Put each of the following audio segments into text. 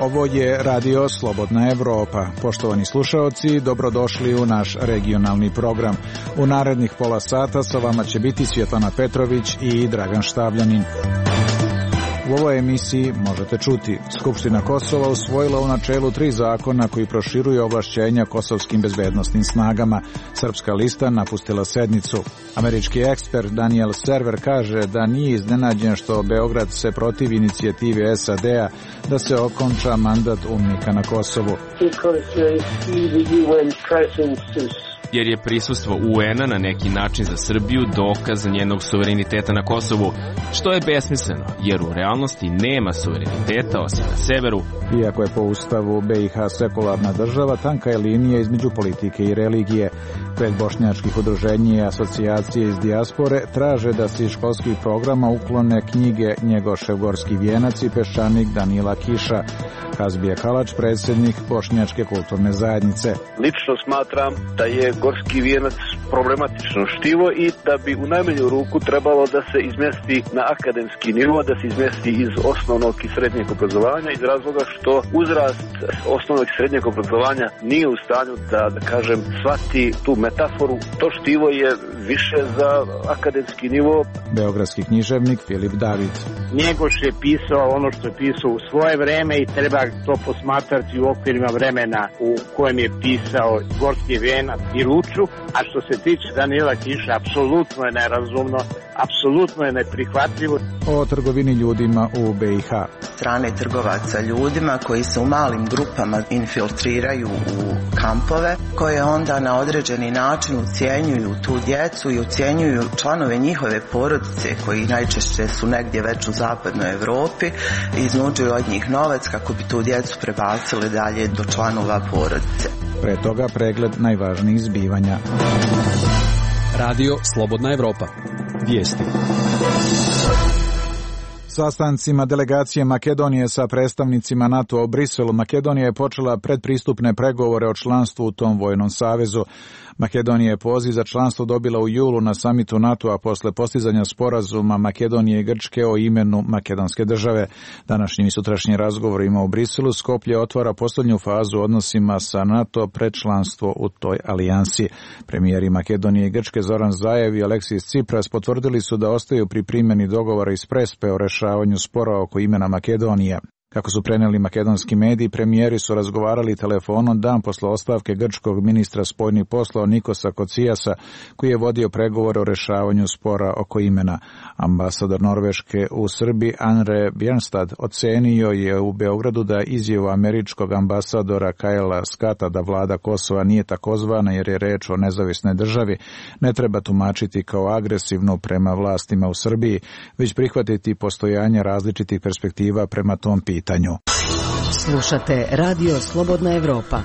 Ovo je Radio Slobodna Evropa. Poštovani slušaoci, dobrodošli u naš regionalni program. U narednih pola sata sa vama će biti Svjetlana Petrović i Dragan Štavljanin. U ovoj emisiji možete čuti: Skupština Kosova usvojila u načelu 3 zakona koji proširuju ovlašćenja kosovskim bezbednosnim snagama. Srpska lista napustila sednicu. Američki ekspert Daniel Server kaže da nije iznenađen što Beograd se protivi inicijativi SAD-a da se okonča mandat UNMIK-a na Kosovu. Jer je prisustvo UN-a na neki način za Srbiju dokaz njenog suvereniteta na Kosovu, što je besmisleno, jer u realnosti nema suvereniteta osim na severu. Iako je po ustavu BiH sekularna država, tanka je linija između politike i religije. 5 bošnjačkih udruženja i asocijacije iz dijaspore traže da se iz školskih programa uklone knjige Njegošev gorski vijenac i Peščanik Danila Kiša. Kazbija Kalač, predsjednik Bošnjačke kulturne zajednice. Lično smatram da je gorski vijenac problematično štivo i da bi u najmanju ruku trebalo da se izmesti na akademski nivo, da se izmesti iz osnovnog i srednjeg obrazovanja, iz razloga što uzrast osnovnog i srednjeg obrazovanja nije u stanju da kažem, shvati tu metaforu. To štivo je više za akademski nivo. Beogradski književnik Filip David. Njegoš je pisao ono što je pisao u svoje vreme i treba to posmatrati u okvirima vremena u kojem je pisao Gorski vijenac i Luču. A što se tiče Danila Kiša, apsolutno je nerazumno, apsolutno je neprihvatljivo. O trgovini ljudima u BiH. Strane trgovaca ljudima koji se u malim grupama infiltriraju u kampove, koje onda na određeni način ucijenjuju tu djecu i ucijenjuju članove njihove porodice koji najčešće su negdje već u zapadnoj Evropi i iznuđuju od njih novac kako bi tu djecu prebacili dalje do članova porodice. Pre toga pregled najvažnijih zbivanja. Radio Slobodna Evropa. Vijesti. Sastancima delegacije Makedonije sa predstavnicima NATO u Briselu, Makedonija je počela predpristupne pregovore o članstvu u tom vojnom savezu. Makedonija je poziv za članstvo dobila u julu na samitu NATO-a posle postizanja sporazuma Makedonije i Grčke o imenu makedonske države. Današnjim i sutrašnjim razgovorima u Briselu Skoplje otvara posljednju fazu odnosima sa NATO pred članstvo u toj alijansi. Premijeri Makedonije i Grčke Zoran Zaev i Aleksis Tsipras potvrdili su da ostaju pri primjeni dogovora iz Prespe o rešavanju spora oko imena Makedonije. Kako su preneli makedonski mediji, premijeri su razgovarali telefonom dan posle ostavke grčkog ministra spoljnih poslova Nikosa Kocijasa, koji je vodio pregovore o rešavanju spora oko imena. Ambasador Norveške u Srbiji Andre Bjernstad ocenio je u Beogradu da izjavu američkog ambasadora Kajla Skata da vlada Kosova nije takozvana jer je reč o nezavisnoj državi, ne treba tumačiti kao agresivnu prema vlastima u Srbiji, već prihvatiti postojanje različitih perspektiva prema tom pitanju. Slušate Radio Slobodna Evropa.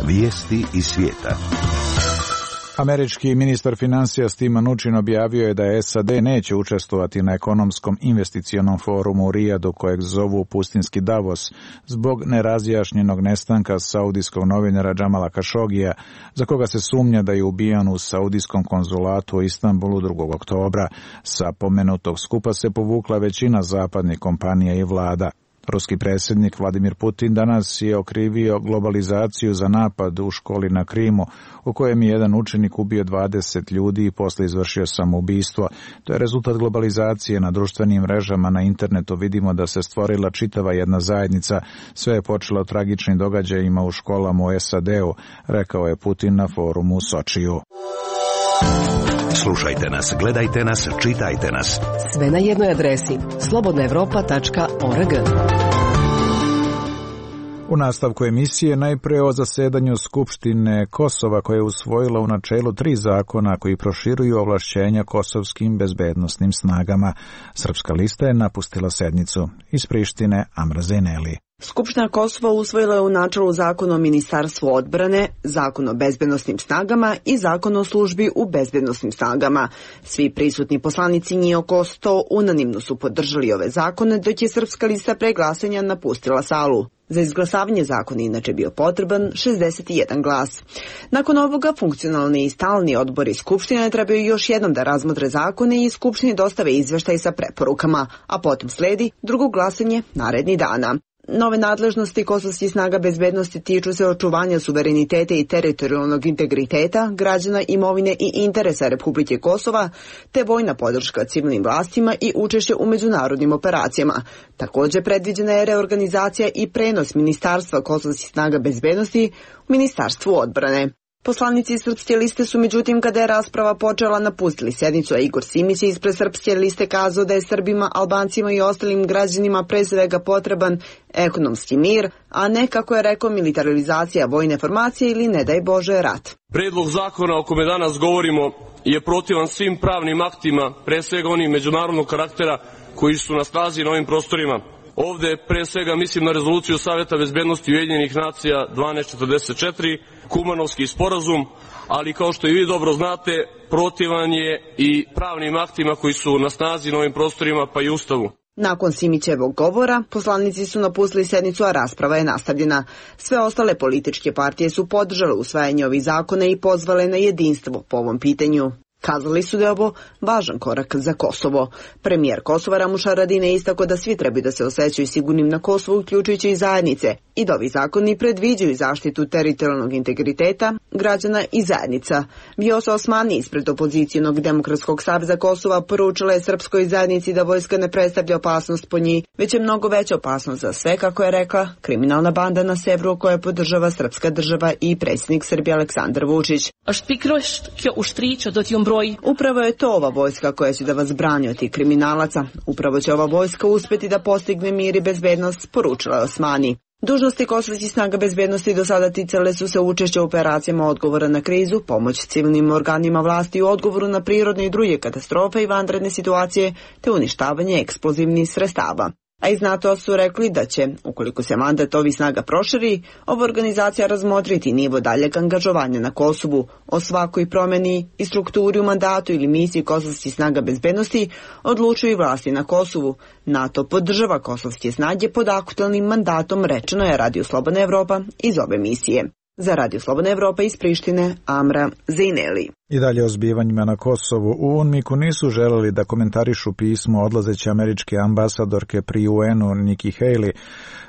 Vijesti iz svijeta. Američki ministar financija Steve Mnuchin objavio je da SAD neće učestvovati na ekonomskom investicionom forumu u Rijadu, kojeg zovu pustinski Davos, zbog nerazjašnjenog nestanka saudijskog novinara Džamala Kašogija, za koga se sumnja da je ubijan u saudijskom konzulatu u Istanbulu 2. oktobra. Sa pomenutog skupa se povukla većina zapadnih kompanija i vlada. Ruski predsjednik Vladimir Putin danas je okrivio globalizaciju za napad u školi na Krimu, u kojem je jedan učenik ubio 20 ljudi i posle izvršio samoubistvo. To je rezultat globalizacije. Na društvenim mrežama na internetu vidimo da se stvorila čitava jedna zajednica. Sve je počelo tragičnim događajima u školama u SAD-u, rekao je Putin na forumu u Sočiju. Slušajte nas, gledajte nas, čitajte nas. Sve na jednoj adresi slobodnaevropa.org. U nastavku emisije najpre o zasedanju Skupštine Kosova, koja je usvojila u načelu 3 zakona koji proširuju ovlašćenja kosovskim bezbednosnim snagama. Srpska lista je napustila sednicu. Iz Prištine Amra Zeneli. Skupština Kosova usvojila je u načelu Zakon o Ministarstvu odbrane, Zakon o bezbednosnim snagama i Zakon o službi u bezbednosnim snagama. Svi prisutni poslanici, njih oko 100, unanimno su podržali ove zakone, dok je Srpska lista pre glasanja napustila salu. Za izglasavanje zakona inače bio potreban 61 glas. Nakon ovoga, funkcionalni i stalni odbori Skupštine trebaju još jednom da razmotre zakone i Skupštini dostave izveštaj sa preporukama, a potom sledi drugo glasanje narednih dana. Nove nadležnosti kosovskih snaga bezbednosti tiču se očuvanja suvereniteta i teritorijalnog integriteta, građana, imovine i interesa Republike Kosova, te vojna podrška civilnim vlastima i učešće u međunarodnim operacijama. Također predviđena je reorganizacija i prenos Ministarstva kosovskih snaga bezbednosti u Ministarstvu odbrane. Poslanici Srpske liste su, međutim, kada je rasprava počela, napustili sjednicu, a Igor Simić je ispred Srpske liste kazao da je Srbima, Albancima i ostalim građanima pre svega potreban ekonomski mir, a ne, kako je rekao, militarizacija vojne formacije ili, ne daj Bože, rat. Predlog zakona o kome danas govorimo je protivan svim pravnim aktima, pre svega onim međunarodnog karaktera koji su na snazi na ovim prostorima. Ovde pre svega mislim na rezoluciju Saveta bezbednosti Ujedinjenih nacija 1244, Kumanovski sporazum, ali kao što i vi dobro znate, protivan je i pravnim aktima koji su na snazi na ovim prostorima, pa i Ustavu. Nakon Simićevog govora, poslanici su napustili sednicu, a rasprava je nastavljena. Sve ostale političke partije su podržale usvajanje ovih zakona i pozvale na jedinstvo po ovom pitanju. Kazali su da je ovo važan korak za Kosovo. Premijer Kosova Ramuš Haradinaj istakao da svi trebaju da se osjećaju sigurnim na Kosovu, uključujući i zajednice, i da ovi zakoni predviđaju zaštitu teritorijalnog integriteta građana i zajednica. Vjosa Osmani ispred opozicijonog Demokratskog saveza Kosova poručila je srpskoj zajednici da vojska ne predstavlja opasnost po njih, već je mnogo veća opasnost za sve, kako je rekla, kriminalna banda na severu koja podržava srpska država i predsjednik Srbije Aleksandar Vučić. Upravo je to ova vojska koja će da vas brani od tih kriminalaca. Upravo će ova vojska uspjeti da postigne mir i bezbednost, poručila je Osmani. Dužnosti kosovskih snaga bezbednosti do sada ticale su se učešća u operacijama odgovora na krizu, pomoć civilnim organima vlasti u odgovoru na prirodne i druge katastrofe i vanredne situacije, te uništavanje eksplozivnih sredstava. A iz NATO su rekli da će, ukoliko se mandat ovih snaga proširi, ova organizacija razmotriti nivo daljeg angažovanja na Kosovu. O svakoj promjeni i strukturi u mandatu ili misiji kosovskih snaga bezbednosti odlučuju i vlasti na Kosovu. NATO podržava kosovske snage pod aktualnim mandatom, rečeno je Radio Slobodna Evropa iz ove misije. Za Radio Slobodna Evropa iz Prištine, Amra Zejneli. I dalje o zbivanjima na Kosovu. U UNMIK-u nisu želeli da komentarišu pismo odlazeće američke ambasadorke pri UN-u Nikki Haley,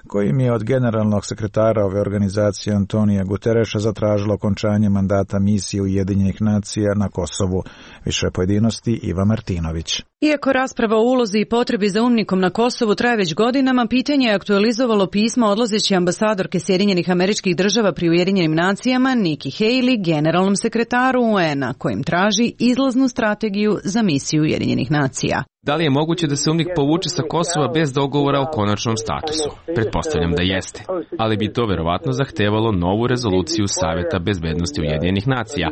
kojim je od generalnog sekretara ove organizacije Antonija Gutereša zatražilo okončanje mandata misije Ujedinjenih nacija na Kosovu. Više pojedinosti Iva Martinović. Iako rasprava o ulozi i potrebi za UNMIK-om na Kosovu traje već godinama, pitanje je aktualizovalo pismo odlazeće ambasadorke Sjedinjenih Američkih Država pri Ujedinjenim nacijama Nikki Haley generalnom sekretaru UN-a, kojim traži izlaznu strategiju za misiju Ujedinjenih nacija. Da li je moguće da se UNMIK povuče sa Kosova bez dogovora o konačnom statusu? Pretpostavljam da jeste, ali bi to verovatno zahtevalo novu rezoluciju Saveta bezbednosti Ujedinjenih nacija,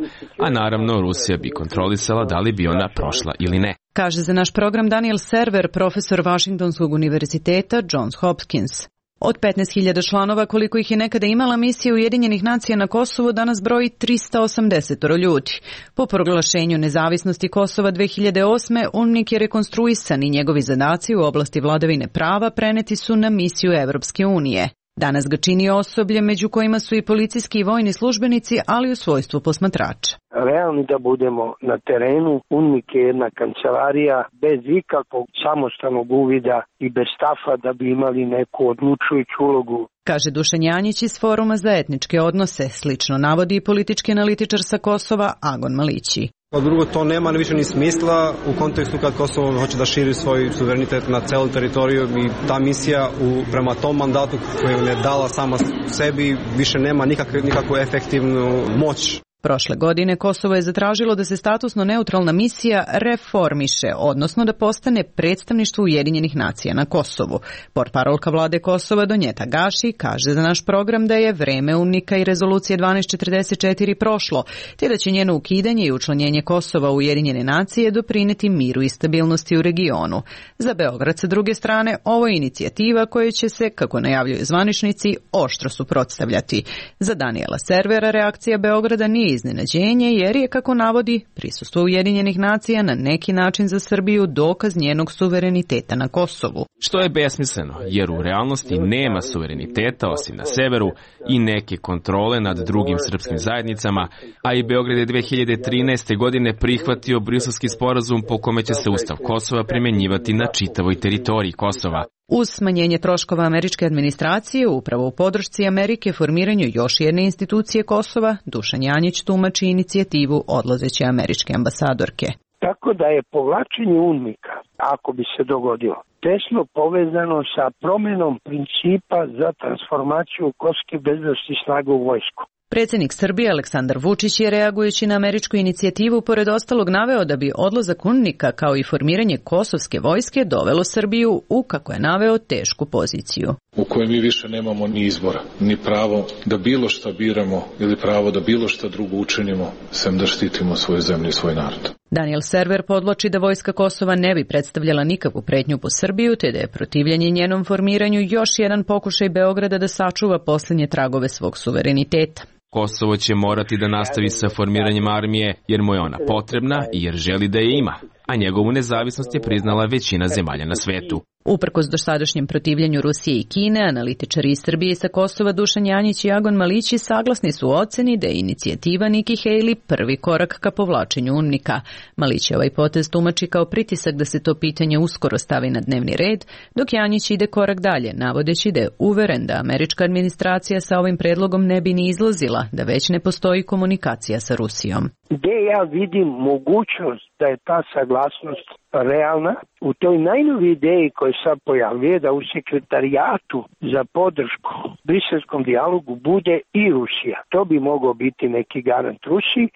a naravno Rusija bi kontrolisala da li bi ona prošla ili ne. Kaže za naš program Daniel Server, profesor Washingtonskog univerziteta Johns Hopkins. Od 15.000 članova, koliko ih je nekada imala misija Ujedinjenih nacija na Kosovu, danas broji 380 ljudi. Po proglašenju nezavisnosti Kosova 2008. UNMIK je rekonstruisan i njegovi zadaci u oblasti vladavine prava preneti su na misiju Evropske unije. Danas ga čini osoblje, među kojima su i policijski i vojni službenici, ali u svojstvu posmatrača. Realni da budemo na terenu, UNMIK je jedna kancelarija bez ikakvog samostalnog uvida i bez stafa da bi imali neku odlučujuću ulogu. Kaže Dušan Janjić iz Foruma za etničke odnose, slično navodi i politički analitičar sa Kosova Agon Malići. A drugo, to nema više ni smisla u kontekstu kad Kosovo hoće da širi svoj suverenitet na celom teritoriju i ta misija prema tom mandatu koju je dala sama sebi više nema nikakvu efektivnu moć. Prošle godine Kosovo je zatražilo da se statusno neutralna misija reformiše, odnosno da postane predstavništvo Ujedinjenih nacija na Kosovu. Portparolka vlade Kosova Donjeta Gaši kaže za naš program da je vreme UNMIK-a i rezolucije 1244 prošlo, te da će njeno ukidanje i učlanjenje Kosova u Ujedinjene nacije doprineti miru i stabilnosti u regionu. Za Beograd sa druge strane, ovo je inicijativa koja će se, kako najavljuju zvaničnici, oštro suprotstavljati. Za Daniela Servera reakcija Beograda nije iznenađenje, jer je, kako navodi, prisustvo Ujedinjenih nacija na neki način za Srbiju dokaz njenog suvereniteta na Kosovu. Što je besmisleno, jer u realnosti nema suvereniteta osim na severu i neke kontrole nad drugim srpskim zajednicama, a i Beograd je 2013. godine prihvatio Briselski sporazum po kome će se Ustav Kosova primjenjivati na čitavoj teritoriji Kosova. Uz smanjenje troškova američke administracije, upravo u podršci Amerike formiranju još jedne institucije Kosova, Dušan Janjić tumači inicijativu odlazeće američke ambasadorke. Tako da je povlačenje UNMIK-a, ako bi se dogodilo, tesno povezano sa promjenom principa za transformaciju kosovskih bezbednosnih snaga u vojsku. Predsjednik Srbije Aleksandar Vučić je, reagujući na američku inicijativu, pored ostalog naveo da bi odlazak UNMIK-a kao i formiranje kosovske vojske dovelo Srbiju u, kako je naveo, tešku poziciju. U kojoj mi više nemamo ni izbora, ni pravo da bilo šta biramo ili pravo da bilo šta drugo učinimo, sem da štitimo svoju zemlju i svoj narod. Daniel Server podvlači da vojska Kosova ne bi predstavljala nikakvu pretnju po Srbiju, te da je protivljenje njenom formiranju još jedan pokušaj Beograda da sačuva posljednje tragove svog suvereniteta. Kosovo će morati da nastavi sa formiranjem armije jer mu je ona potrebna i jer želi da je ima, a njegovu nezavisnost je priznala većina zemalja na svetu. Uprkos dosadašnjem protivljenju Rusije i Kine, analitičari iz Srbije sa Kosova Dušan Janjić i Agon Malići saglasni su u oceni da je inicijativa Nikki Haley prvi korak ka povlačenju UNMIK-a. Malić je ovaj potez tumači kao pritisak da se to pitanje uskoro stavi na dnevni red, dok Janjić ide korak dalje, navodeći da je uveren da američka administracija sa ovim predlogom ne bi ni izlazila, da već ne postoji komunikacija sa Rusijom. Gde ja vidim mogućnost da je ta saglasnost realna, u toj najnoviji ideji koja sad pojavljuje da u sekretarijatu za podršku briselskom dijalogu bude i Rusija. To bi mogao biti neki garant Rusiji,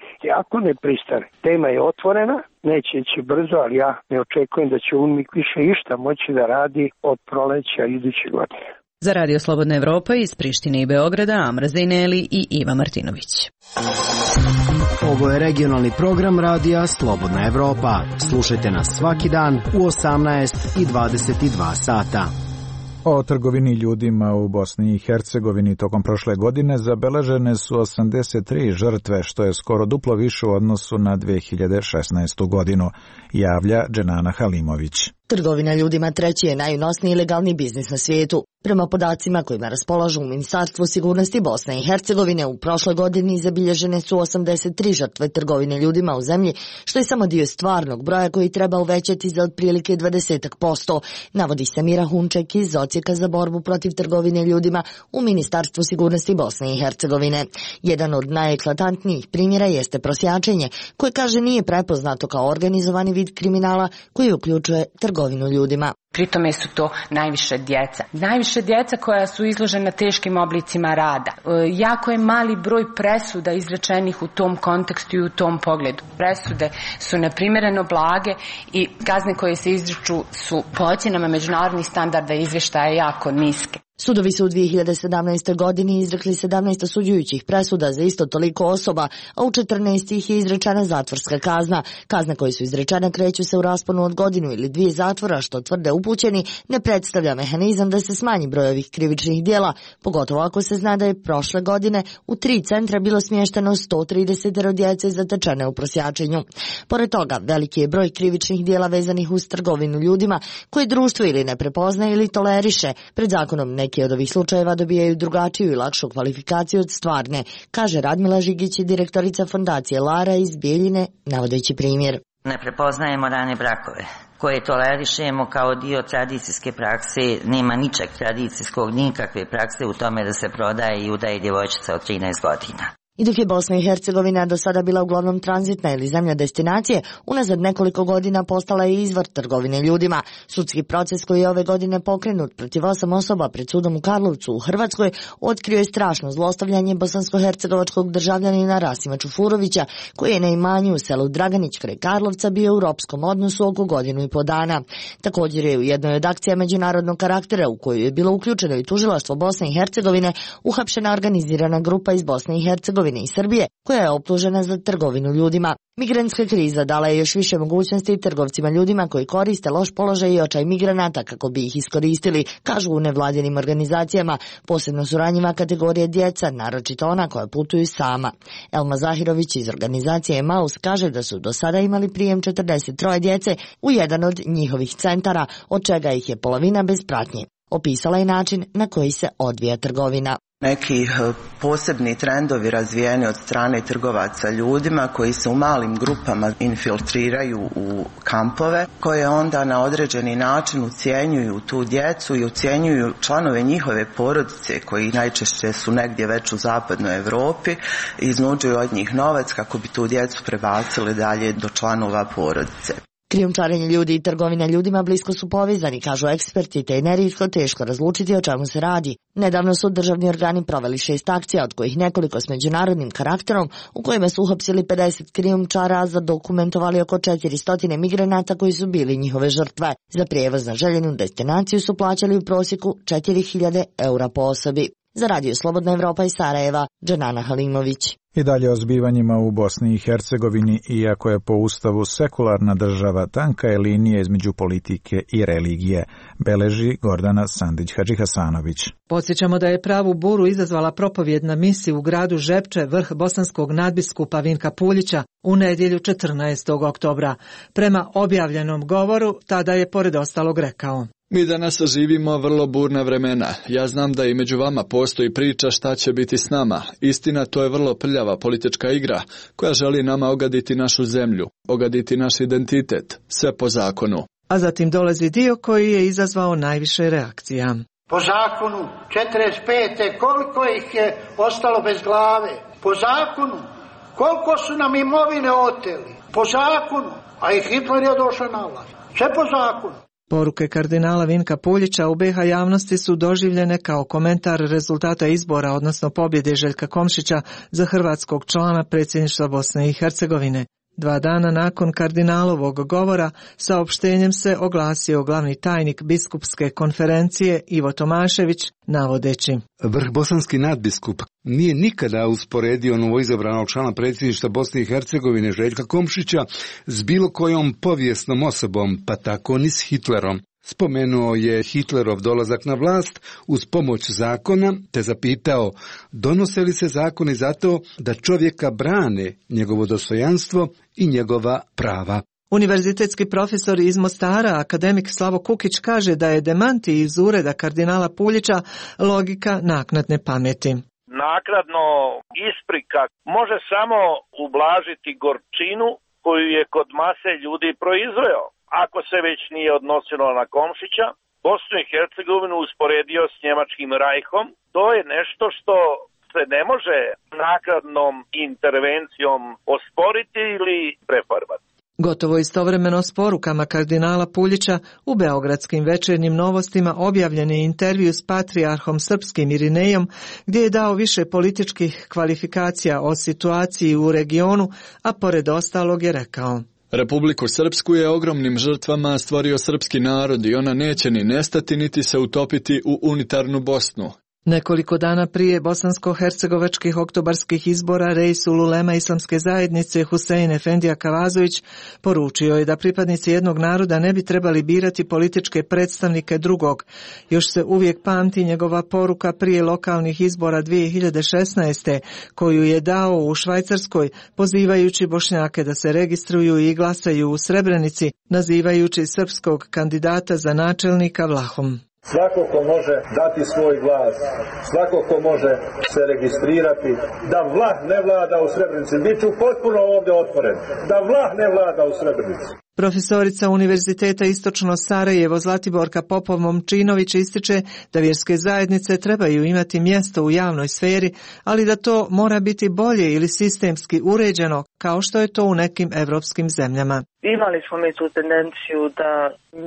ako ne pristane. Tema je otvorena, neće ići brzo, ali ja ne očekujem da će UNMIK više išta moći da radi od proleća iduće godine. Za Radio Slobodna Evropa iz Prištine i Beograda, Amra Zejneli i Iva Martinović. Ovo je regionalni program radija Slobodna Evropa. Slušajte nas svaki dan u 18 i 22 sata. O trgovini ljudima u Bosni i Hercegovini tokom prošle godine zabeležene su 83 žrtve, što je skoro duplo više u odnosu na 2016. godinu, javlja Dženana Halimović. Trgovina ljudima treći je najunosniji ilegalni biznis na svijetu. Prema podacima kojima raspolažu u Ministarstvu sigurnosti Bosne i Hercegovine, u prošloj godini zabilježene su 83 žrtve trgovine ljudima u zemlji, što je samo dio stvarnog broja koji treba uvećati za otprilike 20%, navodi Samira Hunček iz Odsjeka za borbu protiv trgovine ljudima u Ministarstvu sigurnosti Bosne i Hercegovine. Jedan od najeklatantnijih primjera jeste prosjačenje, koje kaže nije prepoznato kao organizovani vid kriminala koji uključuje trgovinu ljudima. Pritome su to najviše djeca. Najviše djeca koja su izložena teškim oblicima rada. Jako je mali broj presuda izrečenih u tom kontekstu i u tom pogledu. Presude su neprimjereno blage i kazne koje se izriču su po ocjenama međunarodnih standarda izvještaja jako niske. Sudovi su u 2017. godini izrekli 17 osuđujućih presuda za isto toliko osoba, a u 14 ih je izrečena zatvorska kazna. Kazne koje su izrečene kreću se u rasponu od godinu ili 2 zatvora, što tvrde upućeni ne predstavlja mehanizam da se smanji broj ovih krivičnih djela, pogotovo ako se zna da je prošle godine u 3 centra bilo smješteno 130 djece zatečene u prosjačenju. Pored toga, veliki je broj krivičnih djela vezanih uz trgovinu ljudima, koje društvo ili ne prepoznaje ili toleriše. Pred zakonom neki od ovih slučajeva dobijaju drugačiju i lakšu kvalifikaciju od stvarne, kaže Radmila Žigić, direktorica fondacije Lara iz Bijeljine, navodeći primjer. Ne prepoznajemo rane brakove koje tolerišemo kao dio tradicijske prakse, nema ničeg tradicijskog, nikakve prakse u tome da se prodaje i udaje djevojčica od 13 godina. I dok je Bosna i Hercegovina do sada bila uglavnom tranzitna ili zemlja destinacije, unazad nekoliko godina postala je izvor trgovine ljudima. Sudski proces koji je ove godine pokrenut protiv 8 osoba pred sudom u Karlovcu u Hrvatskoj otkrio je strašno zlostavljanje bosansko-hercegovačkog državljanina Rasima Čufurovića, koji je na imanju u selu Draganić kraj Karlovca bio u ropskom odnosu oko 1,5 dana. Također je u jednoj od akcija međunarodnog karaktera u koju je bilo uključeno i tužilaštvo Bosne i Hercegovine uhapšena organizirana grupa iz Bosne i Hercegovine i Srbije, koja je optužena za trgovinu ljudima. Migrantska kriza dala je još više mogućnosti trgovcima ljudima koji koriste loš položaj i očaj migranata kako bi ih iskoristili, kažu u nevladinim organizacijama, posebno su ranjiva kategorije djeca, naročito ona koja putuju sama. Elma Zahirović iz organizacije Emaus kaže da su do sada imali prijem 43 djece u jedan od njihovih centara, od čega ih je polovina bez pratnje. Opisala je način na koji se odvija trgovina. Neki posebni trendovi razvijeni od strane trgovaca ljudima koji se u malim grupama infiltriraju u kampove, koje onda na određeni način ucjenjuju tu djecu i ucjenjuju članove njihove porodice koji najčešće su negdje već u zapadnoj Europi, iznuđuju od njih novac kako bi tu djecu prebacili dalje do članova porodice. Krijumčarenje ljudi i trgovina ljudima blisko su povezani, kažu eksperti, te je nerijetko teško razlučiti o čemu se radi. Nedavno su državni organi proveli 6 akcija, od kojih nekoliko s međunarodnim karakterom, u kojima su uhapsili 50 krijumčara, a zadokumentovali oko 400 migranata koji su bili njihove žrtve. Za prijevoz na željenu destinaciju su plaćali u prosjeku 4.000 eura po osobi. Za Radio Slobodna Evropa iz Sarajeva, Dženana Halimović. I dalje o zbivanjima u Bosni i Hercegovini, iako je po Ustavu sekularna država, tanka je linija između politike i religije, beleži Gordana Sandić-Hadžihasanović. Podsjećamo da je pravu buru izazvala propovjedna misija u gradu Žepče, vrh bosanskog nadbiskupa Vinka Puljića, u nedjelju 14. oktobra. Prema objavljenom govoru, tada je pored ostalog rekao: Mi danas živimo vrlo burna vremena. Ja znam da i među vama postoji priča šta će biti s nama. Istina, to je vrlo prljava politička igra koja želi nama ogaditi našu zemlju, ogaditi naš identitet, sve po zakonu. A zatim dolazi dio koji je izazvao najviše reakcija. Po zakonu 45. koliko ih je ostalo bez glave? Po zakonu. Koliko su nam imovine oteli? Po zakonu. A i Hitler je došao na vlast. Sve po zakonu. Poruke kardinala Vinka Puljića u BiH javnosti su doživljene kao komentar rezultata izbora, odnosno pobjede Željka Komšića za hrvatskog člana predsjedništva Bosne i Hercegovine. 2 dana nakon kardinalovog govora saopštenjem se oglasio glavni tajnik biskupske konferencije Ivo Tomašević, navodeći: Vrh bosanski nadbiskup nije nikada usporedio novoizabranog člana predsjedništva Bosne i Hercegovine Željka Komšića s bilo kojom povijesnom osobom, pa tako ni s Hitlerom. Spomenuo je Hitlerov dolazak na vlast uz pomoć zakona, te zapitao donose li se zakoni zato da čovjeka brane njegovo dostojanstvo i njegova prava. Univerzitetski profesor iz Mostara, akademik Slavo Kukić, kaže da je demanti iz ureda kardinala Puljića logika naknadne pameti. Naknadno isprika može samo ublažiti gorčinu koju je kod mase ljudi proizveo. Ako se već nije odnosilo na Komšića, Bosnu i Hercegovinu usporedio s njemačkim rajhom, to je nešto što se ne može naknadnom intervencijom osporiti ili prefarbati. Gotovo istovremeno s porukama kardinala Puljića u beogradskim večernjim novostima objavljen je intervju s patrijarhom srpskim Irinejom, gdje je dao više političkih kvalifikacija o situaciji u regionu, a pored ostalog je rekao: Republiku Srpsku je ogromnim žrtvama stvorio srpski narod i ona neće ni nestati niti se utopiti u unitarnu Bosnu. Nekoliko dana prije bosansko-hercegovačkih oktobarskih izbora Reisul Ulema Islamske zajednice Husein Efendija Kavazović poručio je da pripadnici jednog naroda ne bi trebali birati političke predstavnike drugog. Još se uvijek pamti njegova poruka prije lokalnih izbora 2016. koju je dao u Švajcarskoj, pozivajući Bošnjake da se registruju i glasaju u Srebrenici, nazivajući srpskog kandidata za načelnika Vlahom. Svako ko može dati svoj glas, svako ko može se registrirati, da vlah ne vlada u Srebrenici. Biću potpuno ovdje otvoren, da vlah ne vlada u Srebrenici. Profesorica Univerziteta Istočno Sarajevo Zlatiborka Popov-Momčinović ističe da vjerske zajednice trebaju imati mjesto u javnoj sferi, ali da to mora biti bolje ili sistemski uređeno, kao što je to u nekim evropskim zemljama. Imali smo mi tu tendenciju da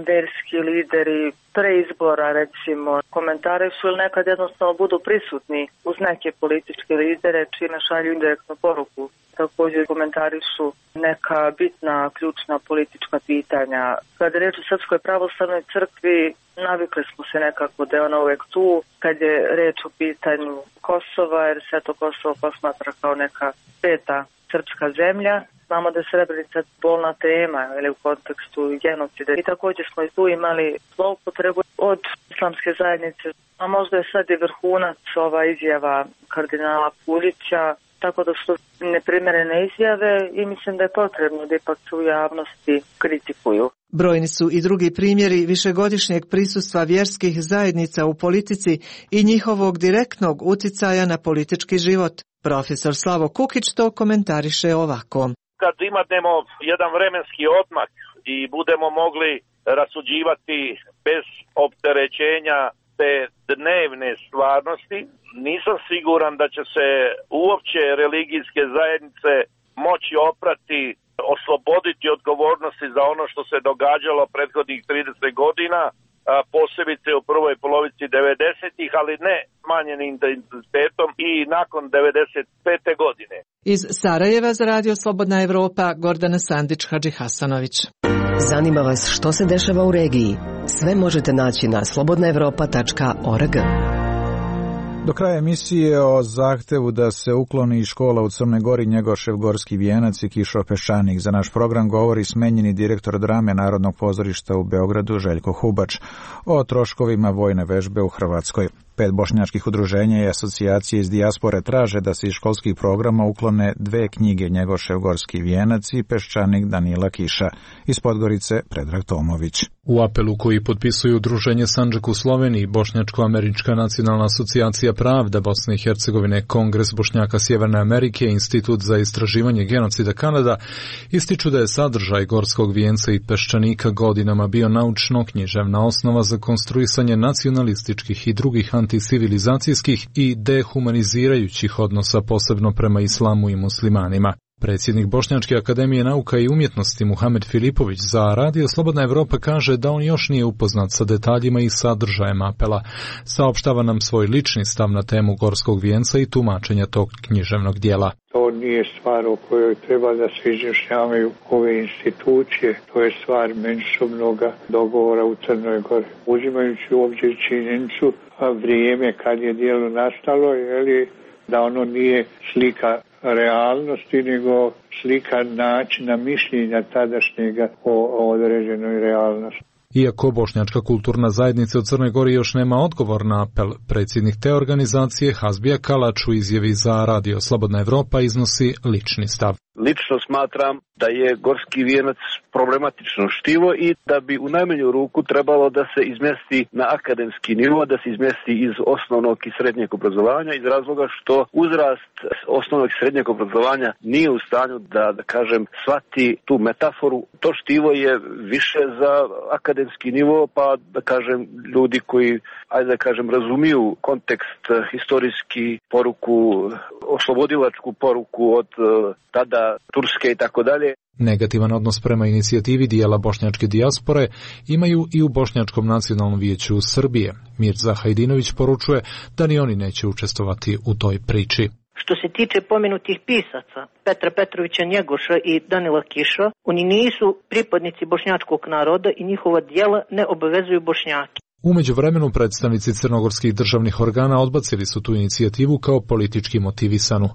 vjerski lideri pre izbora, recimo, komentarišu ili nekad jednostavno budu prisutni uz neke političke lidere čime šalju indirektnu poruku. Također komentarišu neka bitna, ključna politička pitanja. Kada je reč o Srpskoj pravoslavnoj crkvi, navikli smo se nekako da je ona uvijek tu. Kad je reč o pitanju Kosova, jer se to Kosovo posmatra kao neka peta srpska zemlja, znamo da je Srebrenica bolna tema ili u kontekstu genocida. I također smo i tu imali zloupotrebu od islamske zajednice, a možda je sad i vrhunac ova izjava kardinala Puljića, tako da su neprimjerene izjave i mislim da je potrebno da ipak se u javnosti kritikuju. Brojni su i drugi primjeri višegodišnjeg prisustva vjerskih zajednica u politici i njihovog direktnog uticaja na politički život. Profesor Slavo Kukić to komentariše ovako. Kad imamo jedan vremenski odmak i budemo mogli rasuđivati bez opterećenja te dnevne stvarnosti, nisam siguran da će se uopće religijske zajednice moći oprati, osloboditi odgovornosti za ono što se događalo prethodnih 30 godina, posebice u prvoj polovici 90-ih, ali ne smanjenim intenzitetom i nakon 95. godine. Iz Sarajeva za Radio Slobodna Evropa, Gordana Sandić-Hadžihasanović. Zanima vas što se dešava u regiji? Sve možete naći na slobodnaevropa.org. Do kraja emisije o zahtevu da se ukloni iz škola u Crnoj Gori Njegošev gorski vijenac i Kišo Peščanik. Za naš program govori smenjeni direktor drame Narodnog pozorišta u Beogradu Željko Hubač o troškovima vojne vežbe u Hrvatskoj. 5 bošnjačkih udruženja i asocijacije iz dijaspore traže da se iz školskih programa uklone 2 knjige Njegošev gorski vijenac i Peščanik Danila Kiša. Iz Podgorice Predrag Tomović. U apelu koji potpisuju Udruženje Sandžak u Sloveniji, Bošnjačko-američka nacionalna asocijacija Pravda Bosne i Hercegovine, Kongres Bošnjaka Sjeverne Amerike, Institut za istraživanje genocida Kanada, ističu da je sadržaj gorskog vijenca i Peščanika godinama bio naučno-književna osnova za konstruisanje nacionalističkih i drugih anticivilizacijskih i dehumanizirajućih odnosa, posebno prema islamu i muslimanima. Predsjednik Bošnjačke akademije nauka i umjetnosti Muhamed Filipović za Radio Slobodna Evropa kaže da on još nije upoznat sa detaljima i sadržajem apela. Saopštava nam svoj lični stav na temu gorskog vijenca i tumačenja tog književnog dijela. To nije stvar o kojoj treba da se izjašnjavaju ove institucije, to je stvar međusobnog dogovora u Crnoj Gori. Uzimajući u obzir činjenicu vrijeme kad je dijelo nastalo, da ono nije slika realnosti, nego slika načina mišljenja tadašnjega o određenoj realnosti. Iako Bošnjačka kulturna zajednica u Crnoj Gori još nema odgovor na apel, predsjednik te organizacije Hazbija Kalač u izjavi za Radio Slobodna Evropa iznosi lični stav. Lično smatram da je gorski vijenac problematično štivo i da bi u najmanju ruku trebalo da se izmjesti na akademski nivo, da se izmjesti iz osnovnog i srednjeg obrazovanja, iz razloga što uzrast osnovnog i srednjeg obrazovanja nije u stanju da kažem, shvati tu metaforu. To štivo je više za akademski nivo, pa da kažem ljudi koji, razumiju kontekst, historijski poruku, oslobodilačku poruku od tada Turske i tako dalje. Negativan odnos prema inicijativi dijela bošnjačke dijaspore imaju i u Bošnjačkom nacionalnom vijeću Srbije. Mirza Hajdinović poručuje da ni oni neće učestvovati u toj priči. Što se tiče pomenutih pisaca, Petra Petrovića Njegoša i Danila Kiša, oni nisu pripadnici bošnjačkog naroda i njihova djela ne obavezuju Bošnjake. U međuvremenu predstavnici crnogorskih državnih organa odbacili su tu inicijativu kao politički motivisanu.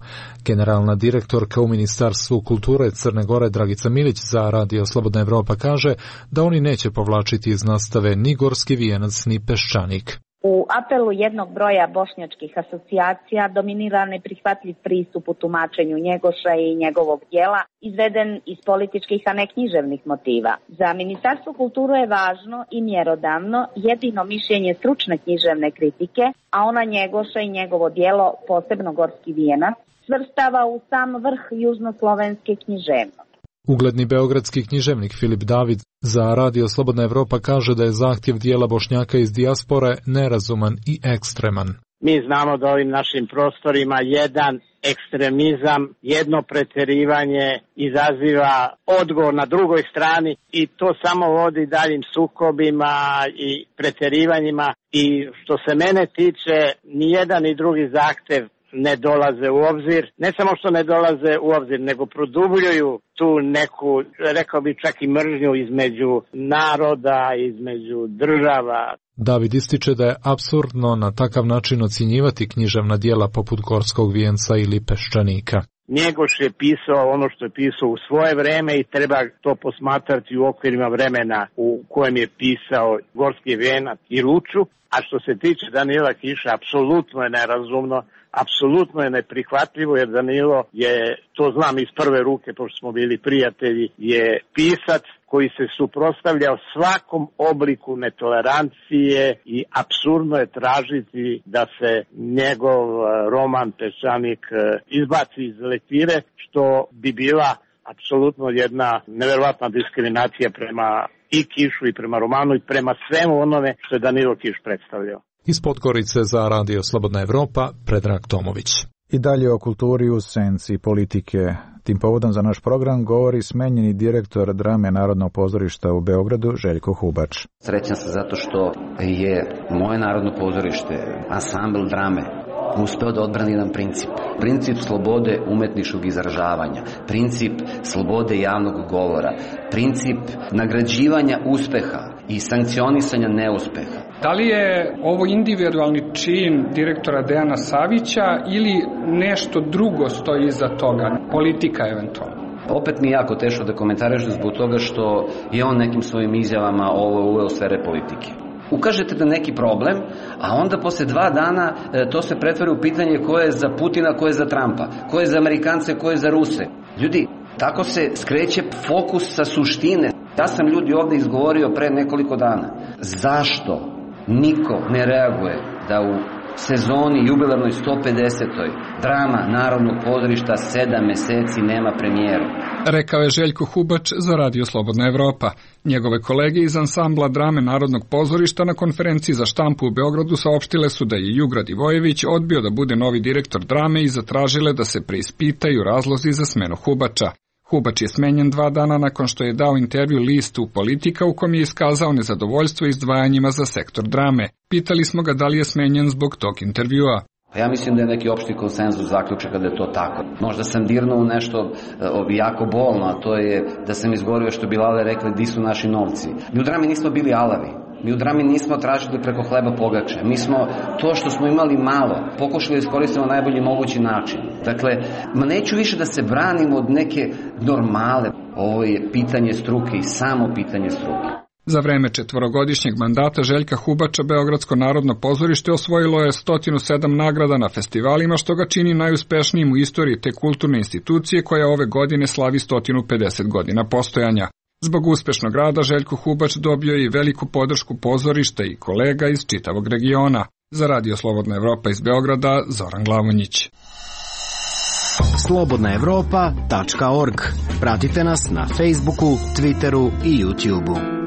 Generalna direktorka u Ministarstvu kulture Crne Gore Dragica Milić za Radio Slobodna Evropa kaže da oni neće povlačiti iz nastave ni gorski vijenac ni Peščanik. U apelu jednog broja bošnjačkih asocijacija dominiran neprihvatljiv pristup u tumačenju Njegoša i njegovog djela, izveden iz političkih, a ne književnih motiva. Za Ministarstvo kulture je važno i mjerodavno jedino mišljenje stručne književne kritike, a ona Njegoša i njegovo djelo, posebno Gorski vijenac, svrstava u sam vrh južnoslovenske književnosti. Ugledni beogradski književnik Filip David za Radio Slobodna Evropa kaže da je zahtjev dijela Bošnjaka iz dijaspore nerazuman i ekstreman. Mi znamo da ovim našim prostorima jedan ekstremizam, jedno pretjerivanje izaziva odgovor na drugoj strani i to samo vodi daljim sukobima i pretjerivanjima i što se mene tiče, ni jedan ni drugi zahtjev ne dolaze u obzir. Ne samo što ne dolaze u obzir, nego produbljuju tu neku, rekao bi čak i mržnju između naroda, između država. David ističe da je apsurdno na takav način ocjenjivati književna djela poput Gorskog vijenca ili Peščanika. Njegoš je pisao ono što je pisao u svoje vreme i treba to posmatrati u okvirima vremena u kojem je pisao Gorski vijenac i Ruču. A što se tiče Danila Kiša, apsolutno je nerazumno, apsolutno je neprihvatljivo, jer Danilo je, to znam iz prve ruke, pošto smo bili prijatelji, je pisac koji se suprotstavljao svakom obliku netolerancije i apsurdno je tražiti da se njegov roman Peščanik izbaci iz lektire, što bi bila apsolutno jedna neverovatna diskriminacija prema i Kišu i prema romanu i prema svemu onome što je Danilo Kiš predstavljao. Iz Podgorice za Radio Slobodna Evropa, Predrag Tomović. I dalje o kulturi u senci politike. Tim povodom za naš program govori smenjeni direktor drame Narodnog pozorišta u Beogradu, Željko Hubač. Srećan sam zato što je moje Narodno pozorište, ansambl drame, uspeo da odbrani jedan princip. Princip slobode umetničkog izražavanja, princip slobode javnog govora, princip nagrađivanja uspeha i sankcionisanja neuspeha. Da li je ovo individualni čin direktora Dejana Savića ili nešto drugo stoji iza toga, politika eventualno? Opet mi je jako teško da komentarišem zbog toga što je on nekim svojim izjavama ovo uveo sfere politike. Ukažete da neki problem, a onda posle 2 dana to se pretvori u pitanje ko je za Putina, ko je za Trumpa, ko je za Amerikance, ko je za Ruse. Ljudi, tako se skreće fokus sa suštine. Ja sam ljudi ovde izgovorio pre nekoliko dana. Zašto niko ne reaguje da u sezoni jubilarnoj 150. drama Narodnog pozorišta 7 meseci nema premijeru? Rekao je Željko Hubač za Radio Slobodna Evropa. Njegove kolege iz ansambla drame Narodnog pozorišta na konferenciji za štampu u Beogradu saopštile su da je Jugra Divojević odbio da bude novi direktor drame i zatražile da se preispitaju razlozi za smenu Hubača. Hubač je smenjen 2 dana nakon što je dao intervju listu Politika u kom je iskazao nezadovoljstvo izdvajanjima za sektor drame. Pitali smo ga da li je smenjen zbog tog intervjua. Ja mislim da je neki opšti konsenzus zaključaka da je to tako. Možda sam dirnuo u nešto jako bolno, a to je da sam izgovorio što bi Lale rekli di su naši novci. Mi u drami nismo bili alavi. Mi u drami nismo tražili preko hleba pogače. Mi smo to što smo imali malo pokušali da iskoristimo na najbolji mogući način. Dakle, neću više da se branim od neke normale. Ovo je pitanje struke i samo pitanje struke. Za vreme 4-godišnjeg mandata Željka Hubača Beogradsko narodno pozorište osvojilo je 107 nagrada na festivalima, što ga čini najuspešnijim u istoriji te kulturne institucije koja ove godine slavi 150 godina postojanja. Zbog uspešnog rada Željko Hubač dobio je i veliku podršku pozorišta i kolega iz čitavog regiona. Za Radio Slobodna Evropa iz Beograda, Zoran Glavonjić. slobodnaevropa.org. Pratite nas na Facebooku, Twitteru i YouTubeu.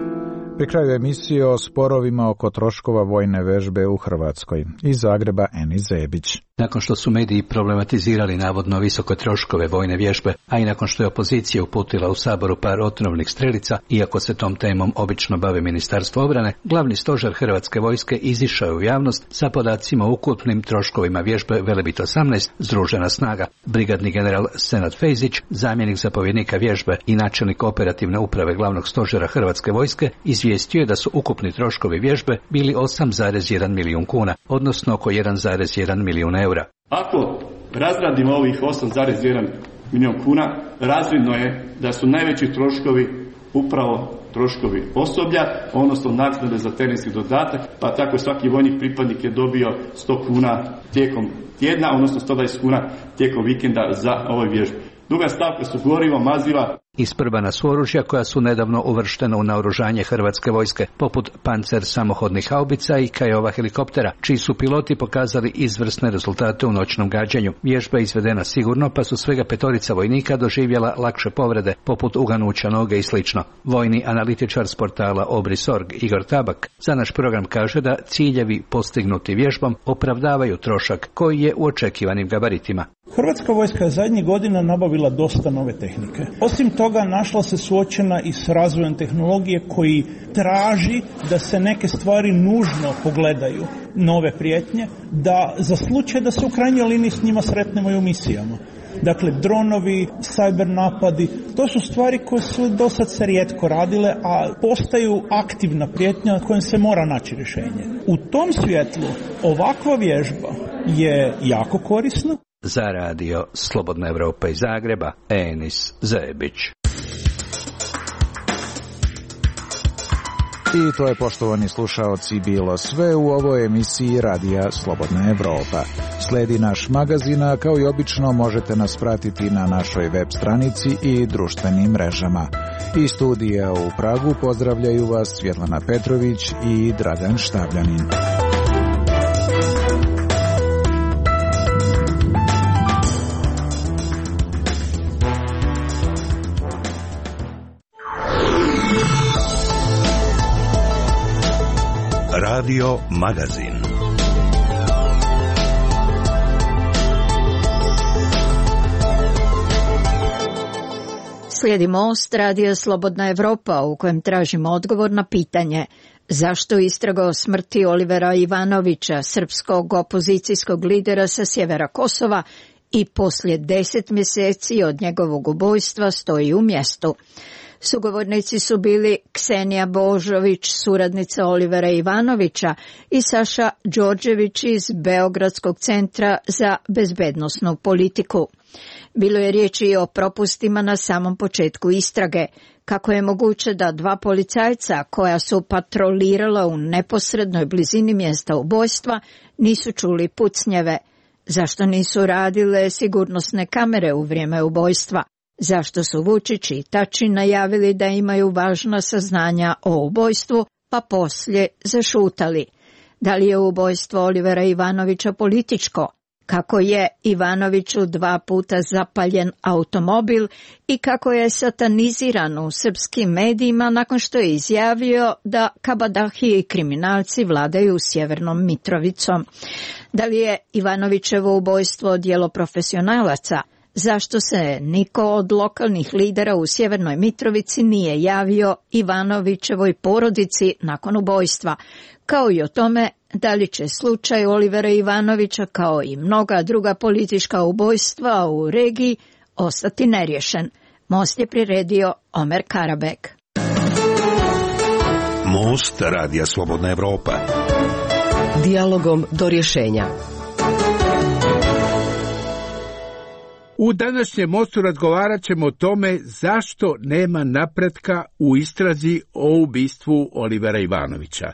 Pri kraju emisije o sporovima oko troškova vojne vežbe u Hrvatskoj. Iz Zagreba Eni Zebić. Nakon što su mediji problematizirali navodno visoke troškove vojne vježbe, a i nakon što je opozicija uputila u Saboru par otrovnih strelica, iako se tom temom obično bavi Ministarstvo obrane, glavni stožer Hrvatske vojske izišao je u javnost sa podacima o ukupnim troškovima vježbe Velebit 18 Združena snaga. Brigadni general Senad Fejzić, zamjenik zapovjednika vježbe i načelnik operativne uprave glavnog stožera Hrvatske vojske, izvijestio je da su ukupni troškovi vježbe bili 8,1 milijun kuna, odnosno oko 1,1 milijun eura. Ako razradimo ovih 8,1 milijun kuna, razvidno je da su najveći troškovi upravo troškovi osoblja, odnosno naknade za terenski dodatak, pa tako svaki vojnik pripadnik je dobio 100 kuna tijekom tjedna, odnosno 120 kuna tijekom vikenda za ove vježbe. Druga stavka su gorivo, maziva. Isprvana su oružja koja su nedavno uvrštena u naoružanje Hrvatske vojske, poput Pancer samohodnih haubica i Kajova helikoptera, čiji su piloti pokazali izvrsne rezultate u noćnom gađanju. Vježba je izvedena sigurno, pa su svega 5 vojnika doživjela lakše povrede, poput uganuća noge i slično. Vojni analitičar s portala Obris.org Igor Tabak za naš program kaže da ciljevi postignuti vježbom opravdavaju trošak koji je u očekivanim gabaritima. Hrvatska vojska je zadnjih godina nabavila dosta nove tehnike. Osim toga, našla se suočena i s razvojem tehnologije koji traži da se neke stvari nužno pogledaju, nove prijetnje, da za slučaj da se u krajnjoj liniji s njima sretnemo i u misijama. Dakle, dronovi, cyber napadi, to su stvari koje su do sad se rijetko radile, a postaju aktivna prijetnja kojom se mora naći rješenje. U tom svjetlu ovakva vježba je jako korisna. Za radio Slobodna Evropa iz Zagreba, Enis Zebić. I to je, poštovani slušaoci, bilo sve u ovoj emisiji Radija Slobodna Evropa. Sledi naš magazin, a kao i obično možete nas pratiti na našoj web stranici i društvenim mrežama. Iz studija u Pragu pozdravljaju vas Svjetlana Petrović i Dragan Štavljanin. Radio Magazin. Slijedi Most, Radio Slobodna Evropa, u kojem tražimo odgovor na pitanje zašto istraga o smrti Olivera Ivanovića, srpskog opozicijskog lidera sa sjevera Kosova, i poslije 10 mjeseci od njegovog ubojstva stoji u mjestu. Sugovornici su bili Ksenija Božović, suradnica Olivera Ivanovića, i Saša Đorđević iz Beogradskog centra za bezbednosnu politiku. Bilo je riječi i o propustima na samom početku istrage. Kako je moguće da 2 policajca koja su patrolirala u neposrednoj blizini mjesta ubojstva nisu čuli pucnjeve? Zašto nisu radile sigurnosne kamere u vrijeme ubojstva? Zašto su Vučić i Tači najavili da imaju važna saznanja o ubojstvu, pa poslije zašutali? Da li je ubojstvo Olivera Ivanovića političko? Kako je Ivanoviću 2 puta zapaljen automobil i kako je sataniziran u srpskim medijima nakon što je izjavio da kabadahije i kriminalci vladaju Sjevernom Mitrovicom? Da li je Ivanovićevo ubojstvo djelo profesionalaca? Zašto se niko od lokalnih lidera u Sjevernoj Mitrovici nije javio Ivanovićevoj porodici nakon ubojstva? Kao i o tome da li će slučaj Olivera Ivanovića, kao i mnoga druga politička ubojstva u regiji, ostati neriješen. Most je priredio Omer Karabek. Most, Radija Slobodna Evropa. Dijalogom do rješenja. U današnjem Mostu razgovarat ćemo o tome zašto nema napretka u istrazi o ubistvu Olivera Ivanovića.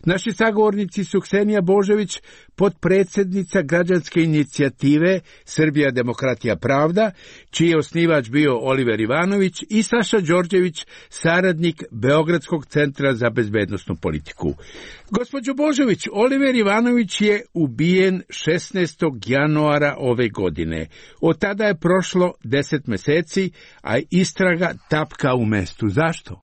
Naši sagovornici su Ksenija Božović, potpredsjednica građanske inicijative Srbija demokratija pravda, čiji je osnivač bio Oliver Ivanović, i Saša Đorđević, saradnik Beogradskog centra za bezbednosnu politiku. Gospođo Božović, Oliver Ivanović je ubijen 16. januara ove godine. Od tada je prošlo 10 mjeseci, a istraga tapka u mestu. Zašto?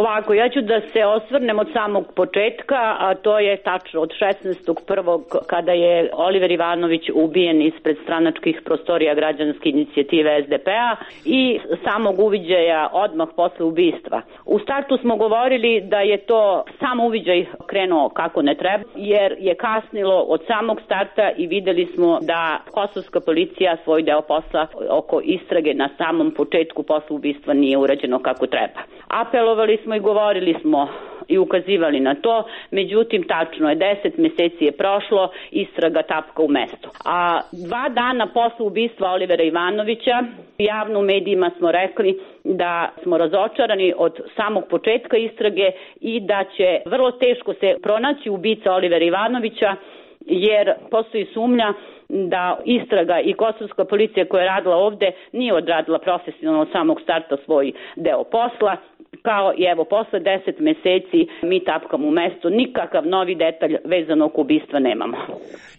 Ovako, ja ću da se osvrnem od samog početka, a to je tačno od 16.1. kada je Oliver Ivanović ubijen ispred stranačkih prostorija građanske inicijative SDP-a i samog uviđaja odmah posle ubistva. U startu smo govorili da je to sam uviđaj krenuo kako ne treba, jer je kasnilo od samog starta i videli smo da kosovska policija svoj deo posla oko istrage na samom početku posle ubistva nije urađeno kako treba. Apelovali smo i govorili smo i ukazivali na to, međutim tačno je, 10 meseci je prošlo, istraga tapka u mestu. A 2 dana posle ubistva Olivera Ivanovića, javno u medijima smo rekli da smo razočarani od samog početka istrage i da će vrlo teško se pronaći ubica Olivera Ivanovića, jer postoji sumnja da istraga i kosovska policija koja je radila ovde nije odradila profesionalno od samog starta svoj deo posla, kao i evo posle 10 meseci mi tapkamo u mestu, nikakav novi detalj vezano oko ubistva nemamo.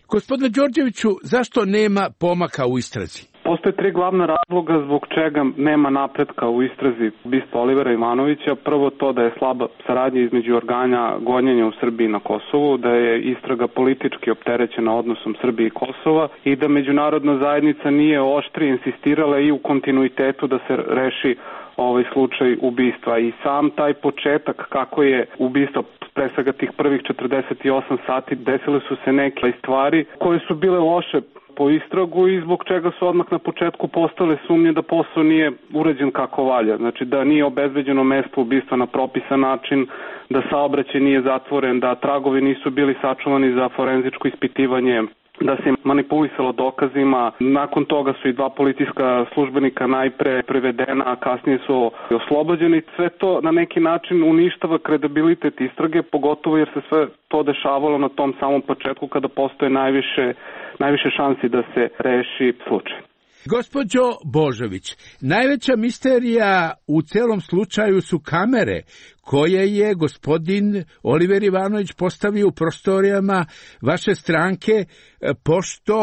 Gospodine Đorđeviću, zašto nema pomaka u istrazi? Postoje 3 glavna razloga zbog čega nema napretka u istrazi ubistva Olivera Ivanovića. Prvo to da je slaba saradnja između organa gonjenja u Srbiji i na Kosovu, da je istraga politički opterećena odnosom Srbije i Kosova i da međunarodna zajednica nije oštrije insistirala i u kontinuitetu da se reši ovaj slučaj ubistva. I sam taj početak kako je ubistvo, pre svega tih prvih 48 sati, desile su se neke stvari koje su bile loše po istragu i zbog čega su odmah na početku postale sumnje da posao nije urađen kako valja. Znači da nije obezbeđeno mesto ubistva na propisan način, da saobraćaj nije zatvoren, da tragovi nisu bili sačuvani za forenzičko ispitivanje, da se manipulisalo dokazima. Nakon toga su i 2 policijska službenika najpre privedena, a kasnije su oslobođeni. Sve to na neki način uništava kredibilitet istrage, pogotovo jer se sve to dešavalo na tom samom početku kada postoje najviše šansi da se reši slučaj. Gospođo Božović, najveća misterija u celom slučaju su kamere koje je gospodin Oliver Ivanović postavio u prostorijama vaše stranke, pošto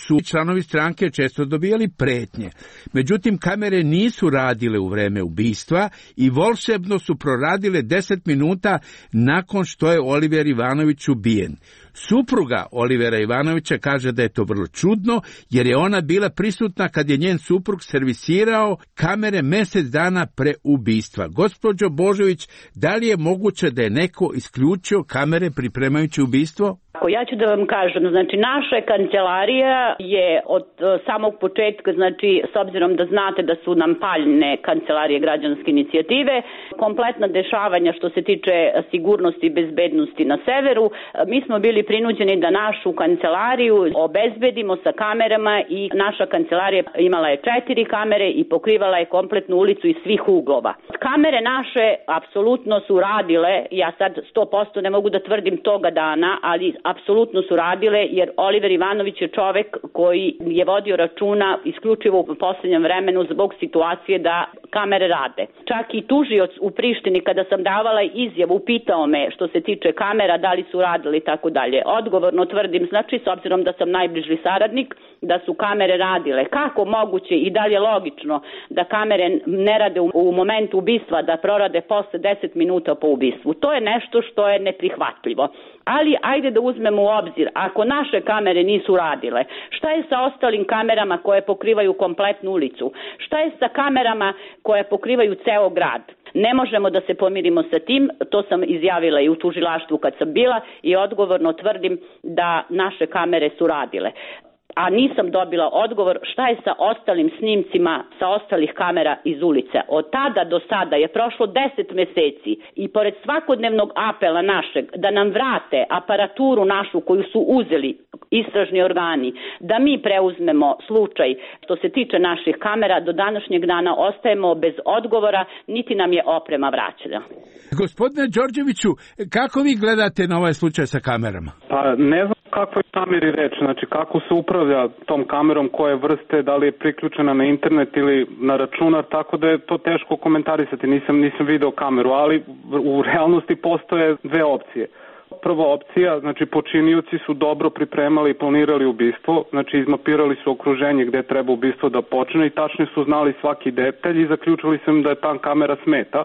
su članovi stranke često dobijali pretnje. Međutim, kamere nisu radile u vreme ubistva i volšebno su proradile 10 minuta nakon što je Oliver Ivanović ubijen. Supruga Olivera Ivanovića kaže da je to vrlo čudno, jer je ona bila prisutna kad je njen suprug servisirao kamere mjesec dana pre ubistva. Gospođo Božović, da li je moguće da je neko isključio kamere pripremajući ubistvo? Ja ću da vam kažem, znači naša kancelarija je od samog početka, znači s obzirom da znate da su nam paljne kancelarije građanske inicijative, kompletna dešavanja što se tiče sigurnosti i bezbednosti na severu, mi smo bili prinuđeni da našu kancelariju obezbedimo sa kamerama i naša kancelarija imala je 4 kamere i pokrivala je kompletnu ulicu iz svih uglova. Kamere naše apsolutno su radile, ja sad 100% ne mogu da tvrdim toga dana, ali apsolutno su radile, jer Oliver Ivanović je čovek koji je vodio računa isključivo u poslednjem vremenu zbog situacije da kamere rade. Čak i tužioc u Prištini kada sam davala izjavu pitao me što se tiče kamera da li su radili i tako dalje. Odgovorno tvrdim, znači s obzirom da sam najbliži saradnik, da su kamere radile. Kako moguće i da li je logično da kamere ne rade u momentu ubistva, da prorade posle 10 minuta po ubistvu? To je nešto što je neprihvatljivo. Ali ajde da uzmemo u obzir, ako naše kamere nisu radile, šta je sa ostalim kamerama koje pokrivaju kompletnu ulicu? Šta je sa kamerama koje pokrivaju ceo grad? Ne možemo da se pomirimo sa tim, to sam izjavila i u tužilaštvu kad sam bila i odgovorno tvrdim da naše kamere su radile. A nisam dobila odgovor šta je sa ostalim snimcima sa ostalih kamera iz ulice. Od tada do sada je prošlo 10 meseci i pored svakodnevnog apela našeg da nam vrate aparaturu našu koju su uzeli istražni organi, da mi preuzmemo slučaj što se tiče naših kamera, do današnjeg dana ostajemo bez odgovora, niti nam je oprema vraćena. Gospodine Đorđeviću, kako vi gledate na ovaj slučaj sa kamerama? Pa ne znam kako je kameri reč, znači kako se upravlja tom kamerom, koje vrste, da li je priključena na internet ili na računar, tako da je to teško komentarisati, nisam video kameru, ali u realnosti postoje 2 opcije. Prva opcija, znači počinioci su dobro pripremali i planirali ubistvo, znači izmapirali su okruženje gde treba ubistvo da počne i tačno su znali svaki detalj i zaključili su im da je ta kamera smeta,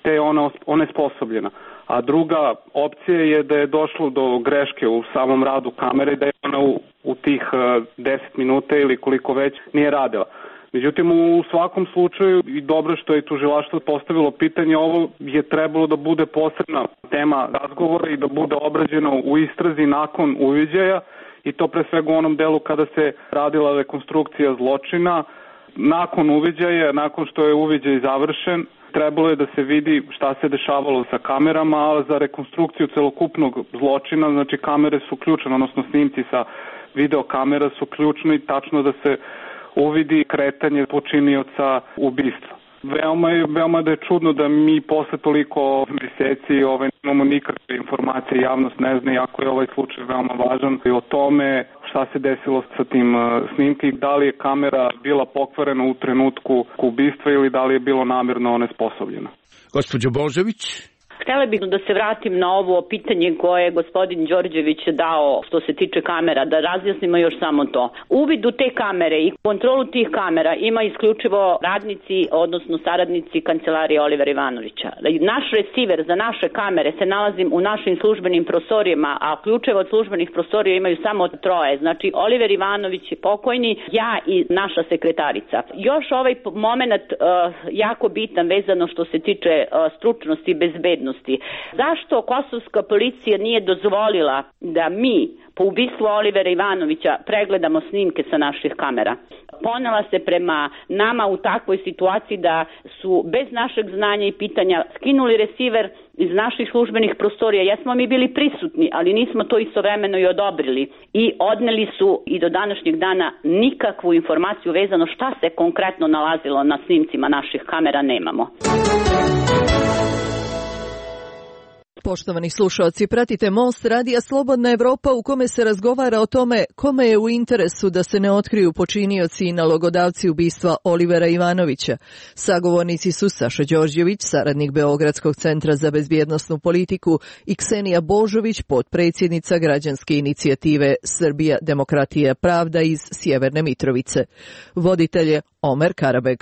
te je ona onesposobljena. A druga opcija je da je došlo do greške u samom radu kamere, da je ona u tih 10 minuta ili koliko već nije radila. Međutim, u svakom slučaju i dobro što je tužilaštvo postavilo pitanje, ovo je trebalo da bude posebna tema razgovora i da bude obrađeno u istrazi nakon uviđaja i to pre svega u onom delu kada se radila rekonstrukcija zločina. Nakon uviđaja, nakon što je uviđaj završen, trebalo je da se vidi šta se dešavalo sa kamerama, ali za rekonstrukciju celokupnog zločina, znači kamere su ključne, odnosno snimci sa videokamera su ključni i tačno da se uvidi kretanje počinioca ubistva. Veoma da je čudno da mi posle toliko meseci nemamo nikakve informacije, javnost ne zna, iako je ovaj slučaj veoma važan i o tome šta se desilo sa tim snimki, da li je kamera bila pokvarena u trenutku ubistva ili da li je bilo namerno onesposobljeno. Gospođo Božović? Htela bih da se vratim na ovo pitanje koje je gospodin Đorđević dao što se tiče kamera, da razjasnimo još samo to. Uvid u te kamere i kontrolu tih kamera ima isključivo radnici, odnosno saradnici kancelarije Olivera Ivanovića. Naš receiver za naše kamere se nalazi u našim službenim prostorijama, a ključeve od službenih prostorija imaju samo 3. Znači Oliver Ivanović je pokojni, ja i naša sekretarica. Još ovaj moment jako bitan vezano što se tiče stručnosti i bezbednosti. Zašto kosovska policija nije dozvolila da mi po ubistvu Olivera Ivanovića pregledamo snimke sa naših kamera? Ponela se prema nama u takvoj situaciji da su bez našeg znanja i pitanja skinuli receiver iz naših službenih prostorija. Jesmo mi bili prisutni, ali nismo to istovremeno i odobrili. I odneli su i do današnjeg dana nikakvu informaciju vezano šta se konkretno nalazilo na snimcima naših kamera nemamo. Poštovani slušalci, pratite Most radija Slobodna Evropa u kome se razgovara o tome kome je u interesu da se ne otkriju počinioci i nalogodavci ubistva Olivera Ivanovića. Sagovornici su Saša Đorđević, saradnik Beogradskog centra za bezbjednosnu politiku, i Ksenija Božović, potpredsjednica građanske inicijative Srbija, demokratija, pravda iz Sjeverne Mitrovice. Voditelj je Omer Karabeg.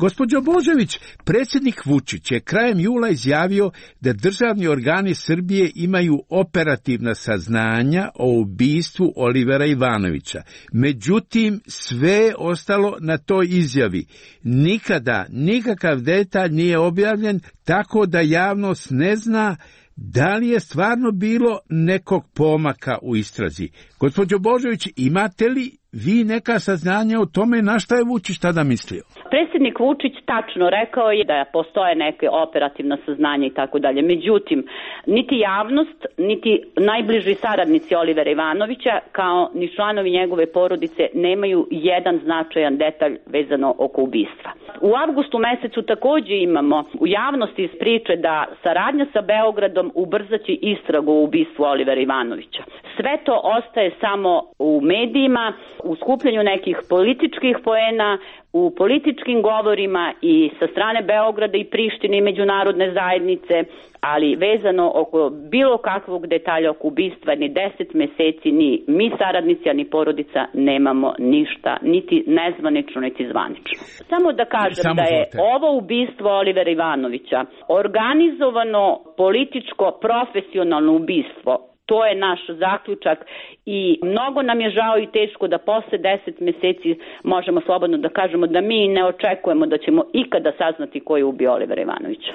Gospođo Božović, predsjednik Vučić je krajem jula izjavio da državni organi Srbije imaju operativna saznanja o ubistvu Olivera Ivanovića. Međutim, sve je ostalo na toj izjavi. Nikada nikakav detalj nije objavljen, tako da javnost ne zna da li je stvarno bilo nekog pomaka u istrazi. Gospođo Božović, imate li vi neka saznanja o tome na šta je Vučić tada mislio? Predsjednik Vučić tačno rekao je da postoje neke operativna saznanja i tako dalje. Međutim, niti javnost, niti najbliži saradnici Olivera Ivanovića, kao ni članovi njegove porodice, nemaju jedan značajan detalj vezano oko ubistva. U avgustu mesecu takođe imamo u javnosti iz priče da saradnja sa Beogradom ubrzaće istragu o ubistvu Olivera Ivanovića. Sve to ostaje samo u medijima, u skupljanju nekih političkih poena, u političkim govorima i sa strane Beograda i Prištine i međunarodne zajednice, ali vezano oko bilo kakvog detalja oko ubistva ni 10 meseci ni mi saradnici, ni porodica nemamo ništa, niti nezvanično, niti zvanično. Samo da kažem da je ovo ubistvo Olivera Ivanovića organizovano političko profesionalno ubistvo. To je naš zaključak i mnogo nam je žao i teško da posle 10 meseci možemo slobodno da kažemo da mi ne očekujemo da ćemo ikada saznati ko je ubio Olivera Ivanovića.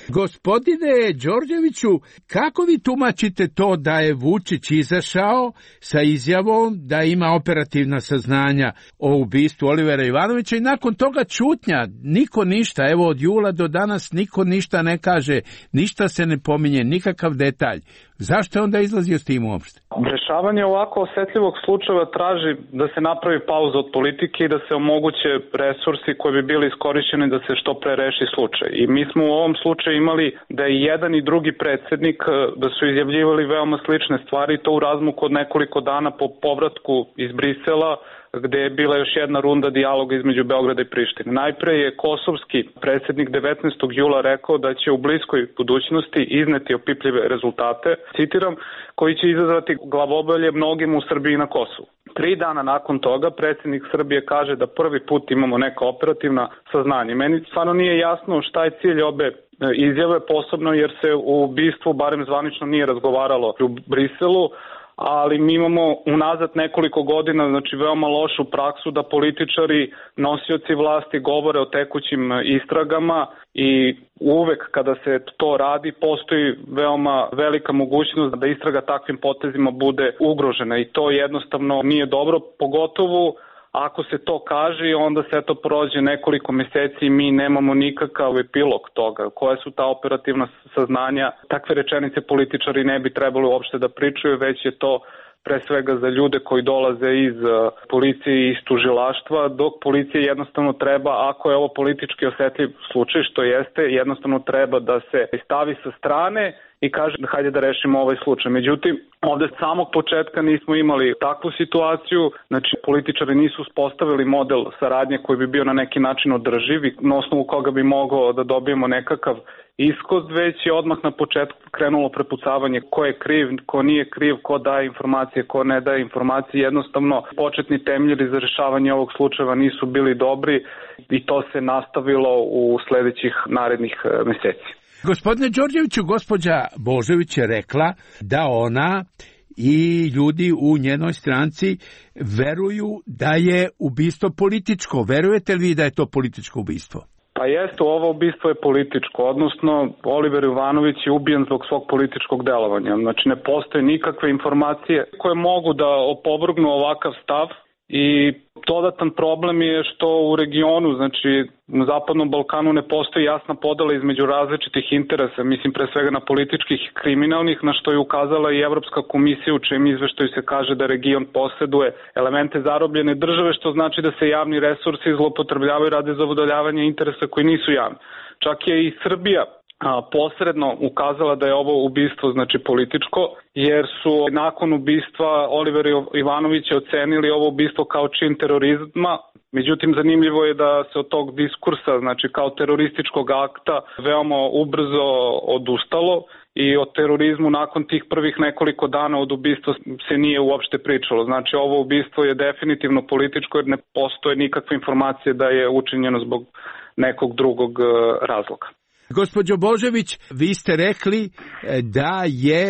Gospodine Đorđeviću, kako vi tumačite to da je Vučić izašao sa izjavom da ima operativna saznanja o ubistvu Olivera Ivanovića i nakon toga ćutnja, niko ništa, evo od jula do danas niko ništa ne kaže, ništa se ne pominje, nikakav detalj. Zašto je onda izlazio s tim uopšte? Rešavanje ovako osetljivog slučaja traži da se napravi pauza od politike i da se omoguće resursi koji bi bili iskorišćeni da se što pre reši slučaj. I mi smo u ovom slučaju imali da je jedan i drugi predsjednik da su izjavljivali veoma slične stvari, to u razmaku od nekoliko dana po povratku iz Brisela, gde je bila još jedna runda dijaloga između Beograda i Prištine. Najpre je kosovski predsjednik 19. jula rekao da će u bliskoj budućnosti izneti opipljive rezultate, citiram, koji će izazvati glavobolje mnogim u Srbiji i na Kosovu. 3 dana nakon toga predsjednik Srbije kaže da prvi put imamo neka operativna saznanja. Meni stvarno nije jasno šta je cilj obe izjave, posebno jer se u ubistvu barem zvanično nije razgovaralo u Briselu, ali mi imamo unazad nekoliko godina, znači veoma lošu praksu da političari, nosioci vlasti govore o tekućim istragama i uvek kada se to radi postoji veoma velika mogućnost da istraga takvim potezima bude ugrožena i to jednostavno nije dobro, pogotovo ako se to kaže i onda se to prođe nekoliko meseci i mi nemamo nikakav epilog toga. Koje su ta operativna saznanja? Takve rečenice političari ne bi trebalo uopšte da pričaju, već je to pre svega za ljude koji dolaze iz policije i iz tužilaštva, dok policija jednostavno treba, ako je ovo politički osetljiv slučaj, što jeste, jednostavno treba da se stavi sa strane i kaže hajde da rešimo ovaj slučaj. Međutim, ovde s samog početka nismo imali takvu situaciju, znači političari nisu uspostavili model saradnje koji bi bio na neki način održiv i na osnovu koga bi mogao da dobijemo nekakav ishod, već je odmah na početku krenulo prepucavanje ko je kriv, ko nije kriv, ko daje informacije, ko ne daje informacije. Jednostavno, početni temelji za rešavanje ovog slučaja nisu bili dobri i to se nastavilo u sledećih narednih meseci. Gospodine Đorđeviću, gospođa Božović je rekla da ona i ljudi u njenoj stranci veruju da je ubistvo političko. Verujete li vi da je to političko ubistvo? Pa jeste, ovo ubistvo je političko, odnosno Oliver Ivanović je ubijen zbog svog političkog delovanja. Znači ne postoje nikakve informacije koje mogu da opovrgnu ovakav stav i dodatan problem je što u regionu, znači na Zapadnom Balkanu ne postoji jasna podela između različitih interesa, mislim pre svega na političkih i kriminalnih, na što je ukazala i Evropska komisija u čijem izveštaju se kaže da region poseduje elemente zarobljene države, što znači da se javni resursi zloupotrebljavaju radi zadovoljavanja interesa koji nisu javni. Čak je i Srbija posredno ukazala da je ovo ubistvo znači političko, jer su nakon ubistva Olivera Ivanovića ocenili ovo ubistvo kao čin terorizma. Međutim, zanimljivo je da se od tog diskursa, znači kao terorističkog akta, veoma ubrzo odustalo i o terorizmu nakon tih prvih nekoliko dana od ubistva se nije uopšte pričalo. Znači, ovo ubistvo je definitivno političko jer ne postoje nikakve informacije da je učinjeno zbog nekog drugog razloga. Gospođo Božović, vi ste rekli da je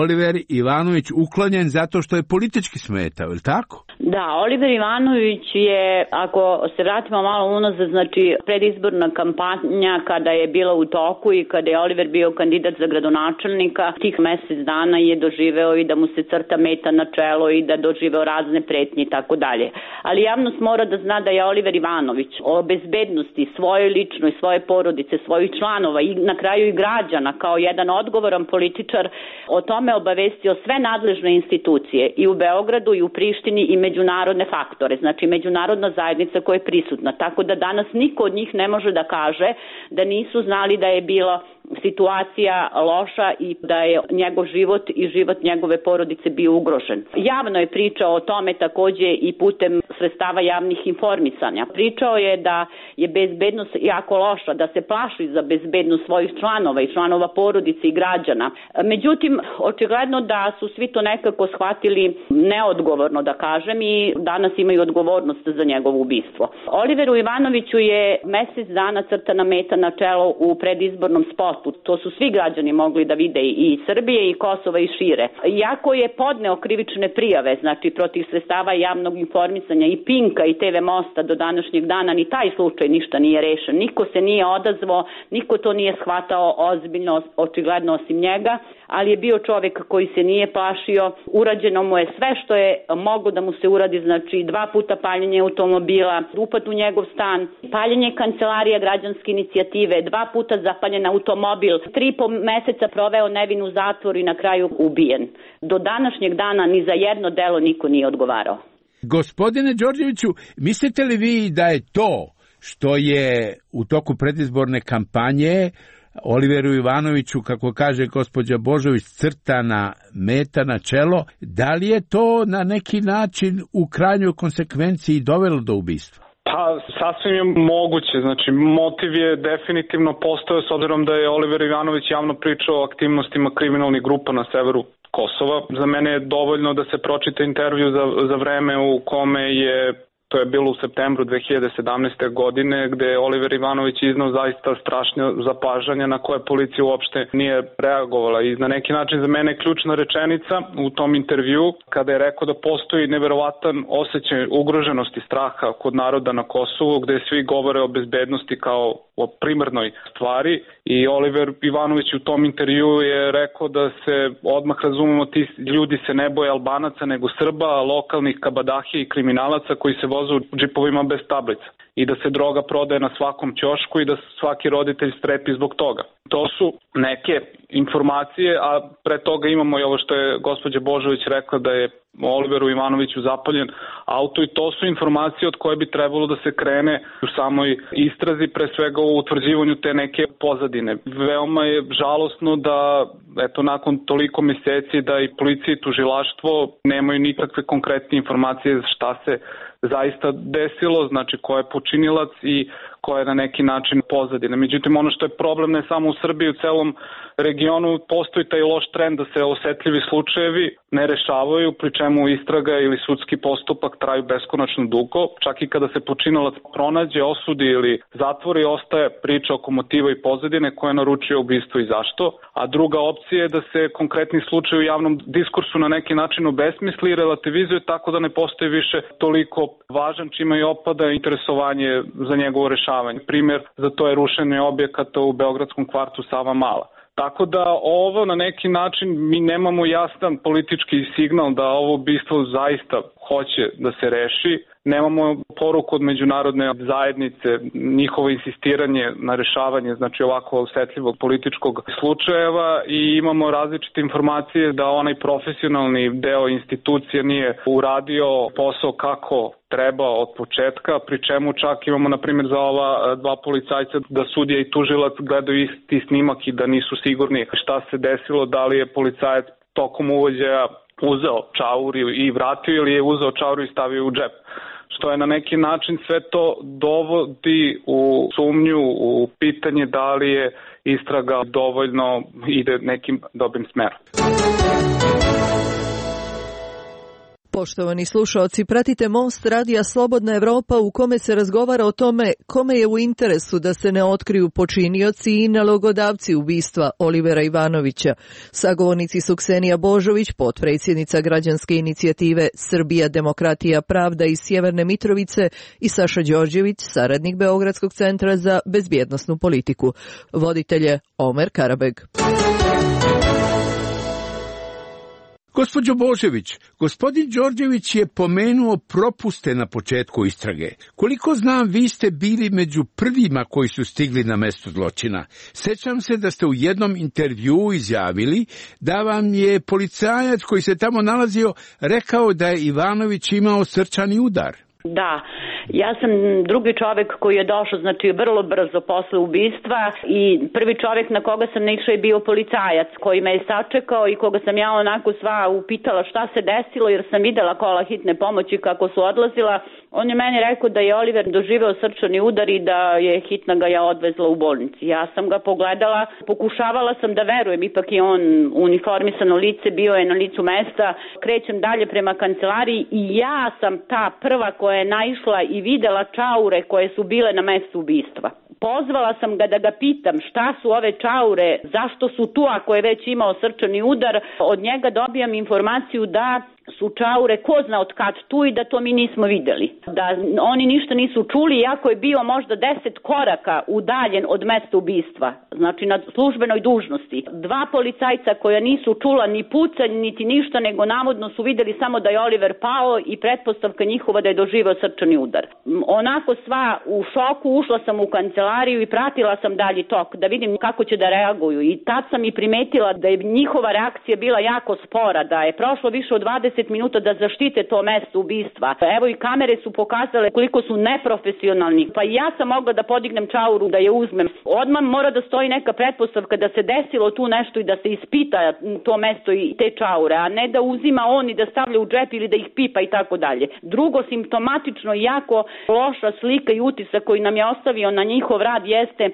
Oliver Ivanović uklonjen zato što je politički smetao, je li tako? Da, Oliver Ivanović je, ako se vratimo malo unazad, znači predizborna kampanja kada je bila u toku i kada je Oliver bio kandidat za gradonačelnika, tih mesec dana je doživeo i da mu se crta meta na čelo i da doživeo razne pretnje i tako dalje. Ali javnost mora da zna da je Oliver Ivanović o bezbednosti svoje ličnoj, svoje porodice, svojih članova i na kraju i građana kao jedan odgovoran političar o tome obavestio sve nadležne institucije i u Beogradu i u Prištini i međunarodne faktore, znači međunarodna zajednica koja je prisutna. Tako da danas niko od njih ne može da kaže da nisu znali da je bila situacija loša i da je njegov život i život njegove porodice bio ugrožen. Javno je pričao o tome takođe i putem sredstava javnih informisanja. Pričao je da je bezbednost jako loša, da se plaši za bezbednost svojih članova i članova porodice i građana. Međutim, očigledno da su svi to nekako shvatili neodgovorno, da kažem, i danas imaju odgovornost za njegovo ubistvo. Oliveru Ivanoviću je mesec dana crtana meta na čelo u predizbornom spotu. To su svi građani mogli da vide i Srbije i Kosova i šire. Iako je podneo krivične prijave, znači protiv sredstava javnog informisanja i Pinka i TV Mosta do današnjeg dana, ni taj slučaj ništa nije rešen. Niko se nije odazvao, niko to nije shvatao ozbiljno, očigledno osim njega, ali je bio čovek koji se nije plašio. Urađeno mu je sve što je moglo da mu se uradi, znači 2 puta paljenje automobila, upad u njegov stan, paljenje kancelarija građanske inicijative, 2 puta zapaljen automobil, 3,5 meseca proveo nevin u zatvoru i na kraju ubijen. Do današnjeg dana ni za jedno delo niko nije odgovarao. Gospodine Đorđeviću, mislite li vi da je to što je u toku predizborne kampanje Oliveru Ivanoviću, kako kaže gospođa Božović, crtana meta na čelo, da li je to na neki način u krajnjoj konsekvenciji dovelo do ubistva? Pa, sasvim je moguće. Znači, motiv je definitivno postojao s obzirom da je Oliver Ivanović javno pričao o aktivnostima kriminalnih grupa na severu Kosova. Za mene je dovoljno da se pročita intervju za vreme u kome je, to je bilo u septembru 2017. godine, gde je Oliver Ivanović iznao zaista strašne zapažanja na koje policija uopšte nije reagovala. I na neki način za mene je ključna rečenica u tom intervju kada je rekao da postoji neverovatan osjećaj ugroženosti straha kod naroda na Kosovu, gde svi govore o bezbednosti kao o primarnoj stvari. I Oliver Ivanović u tom intervju je rekao da se odmah razumemo, ti ljudi se ne boje Albanaca nego Srba, lokalnih kabadahija i kriminalaca koji se voze u džipovima bez tablica i da se droga prodaje na svakom ćošku i da svaki roditelj strepi zbog toga. To su neke informacije, a pre toga imamo i ovo što je gospođa Božović rekla da je Oliveru Ivanoviću zapaljen auto i to su informacije od koje bi trebalo da se krene u samoj istrazi, pre svega u utvrđivanju te neke pozadine. Veoma je žalosno da nakon toliko meseci da i policija i tužilaštvo nemaju nikakve konkretne informacije šta se zaista desilo, znači ko je počinilac i ko je na neki način pozadina. Međutim, ono što je problem ne samo u Srbiji, u celom regionu postoji taj loš trend da se osetljivi slučajevi ne rešavaju, pri čemu istraga ili sudski postupak traju beskonačno dugo. Čak i kada se počinilac pronađe, osudi ili zatvori, ostaje priča oko motiva i pozadine koja naručuje ubistvo i zašto. A druga opcija je da se konkretni slučaj u javnom diskursu na neki način obesmisli i relativizuje tako da ne postoji više toliko važan, čime i opada interesovanje za njegovo rešavanje. Primjer za to je rušenje objekata u beogradskom kvartu Savamala. Tako da ovo na neki način mi nemamo jasan politički signal da ovo ubistvo zaista hoće da se reši. Nemamo poruku od međunarodne zajednice, njihovo insistiranje na rešavanje znači ovako osetljivog političkog slučajeva i imamo različite informacije da onaj profesionalni deo institucije nije uradio posao kako treba od početka, pri čemu čak imamo na primjer za ova dva policajca da sudija i tužilac gledaju isti snimak i da nisu sigurni šta se desilo, da li je policajac tokom uvođaja uzeo čaur i vratio ili je uzeo čaur i stavio u džep. Što je na neki način sve to dovodi u sumnju, u pitanje da li je istraga dovoljno ide nekim dobrim smerom. Poštovani slušaoci, pratite Most radija Slobodna Evropa u kome se razgovara o tome kome je u interesu da se ne otkriju počinioci i nalogodavci ubistva Olivera Ivanovića. Sagovornici su Ksenija Božović, potpredsjednica građanske inicijative Srbija, demokratija, pravda iz Sjeverne Mitrovice i Saša Đorđević, saradnik Beogradskog centra za bezbjednosnu politiku. Voditelj je Omer Karabeg. Gospođo Božević, gospodin Đorđević je pomenuo propuste na početku istrage. Koliko znam, vi ste bili među prvima koji su stigli na mesto zločina. Sećam se da ste u jednom intervjuu izjavili da vam je policajac koji se tamo nalazio rekao da je Ivanović imao srčani udar. Da, ja sam drugi čovek koji je došao, znači vrlo brzo posle ubistva i prvi čovek na koga sam naišao je bio policajac koji me je sačekao i koga sam ja onako sva upitala šta se desilo jer sam videla kola hitne pomoći kako su odlazila. On je meni rekao da je Oliver doživeo srčani udar i da je hitna ga ja odvezla u bolnici. Ja sam ga pogledala, pokušavala sam da verujem, ipak je on uniformisano lice, bio je na licu mesta. Krećem dalje prema kancelariji i ja sam ta prva koja je naišla i videla čaure koje su bile na mestu ubistva. Pozvala sam ga da ga pitam šta su ove čaure, zašto su tu ako je već imao srčani udar. Od njega dobijam informaciju da su čaure ko zna od kad tu i da to mi nismo videli. Da oni ništa nisu čuli iako je bio možda 10 koraka udaljen od mesta ubistva, znači na službenoj dužnosti. Dva policajca koja nisu čula ni pucanj niti ništa nego navodno su videli samo da je Oliver pao i pretpostavka njihova da je doživeo srčani udar. Onako sva u šoku ušla sam u kancelariju i pratila sam dalji tok da vidim kako će da reaguju i tad sam i primetila da je njihova reakcija bila jako spora, da je prošlo više od 20 minuta da zaštite to mesto ubistva. Evo i kamere su pokazale koliko su neprofesionalni. Pa i ja sam mogla da podignem čauru da je uzmem. Odmah mora da stoji neka pretpostavka da se desilo tu nešto i da se ispita to mesto i te čaure, a ne da uzima on i da stavlja u džep ili da ih pipa i tako dalje. Drugo, simptomatično jako loša slika i utisak koji nam je ostavio na njihov rad jeste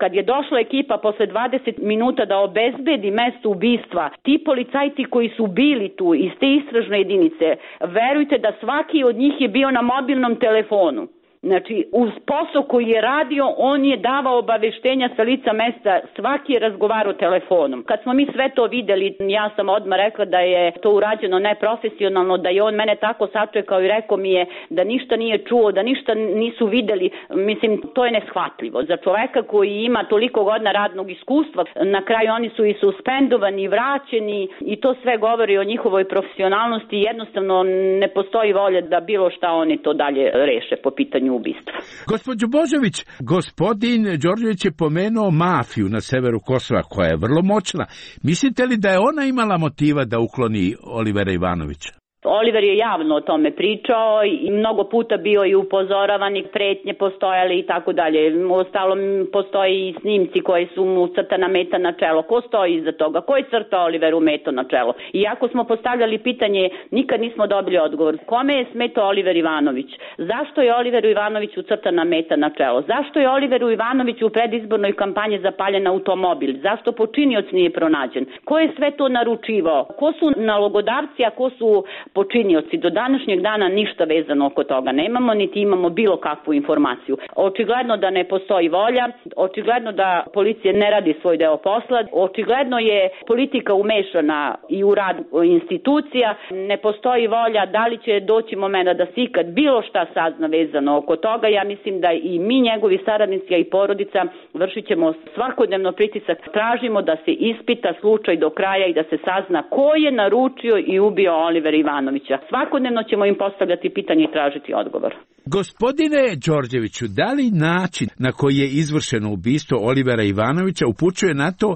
kad je došla ekipa posle 20 minuta da obezbedi mesto ubistva. Ti policajci koji su bili tu iz te istražne jedinice, verujte da svaki od njih je bio na mobilnom telefonu. Znači, uz posao koji je radio, on je davao obaveštenja sa lica mesta, svaki je razgovarao telefonom. Kad smo mi sve to videli, ja sam odmah rekla da je to urađeno neprofesionalno, da je on mene tako sačekao i rekao mi je da ništa nije čuo, da ništa nisu videli. Mislim, to je neshvatljivo. Za čoveka koji ima toliko godina radnog iskustva, na kraju oni su i suspendovani i vraćeni i to sve govori o njihovoj profesionalnosti. Jednostavno ne postoji volja da bilo šta oni to dalje reše po pitanju ubistva. Gospođo Božović, gospodin Đorđević je pomenuo mafiju na severu Kosova koja je vrlo moćna. Mislite li da je ona imala motiva da ukloni Olivera Ivanovića? Oliver je javno o tome pričao i mnogo puta bio i upozoravan i pretnje postojale i tako dalje. Uostalom postoji i snimci koji su mu crtana meta na čelo. Ko stoji iza toga? Ko je crtao Oliveru meto na čelo? I ako smo postavljali pitanje, nikad nismo dobili odgovor. Kome je smetao Oliver Ivanović? Zašto je Oliveru Ivanoviću crtana meta na čelo? Zašto je Oliveru Ivanoviću u predizbornoj kampanji zapaljen automobil? Zašto počinioc nije pronađen? Ko je sve to naručivao? Ko su nalogodavci, a ko su počinioci? Do današnjeg dana ništa vezano oko toga nemamo, niti imamo bilo kakvu informaciju. Očigledno da ne postoji volja, očigledno da policija ne radi svoj deo posla, očigledno je politika umešana i u rad institucija, ne postoji volja, da li će doći momenta da se ikad bilo šta sazna vezano oko toga. Ja mislim da i mi, njegovi saradnici, a i porodica, vršit ćemo svakodnevno pritisak, tražimo da se ispita slučaj do kraja i da se sazna ko je naručio i ubio Olivera Ivanovića. Svakodnevno ćemo im postavljati pitanje i tražiti odgovor. Gospodine Đorđeviću, da li način na koji je izvršeno ubistvo Olivera Ivanovića upućuje na to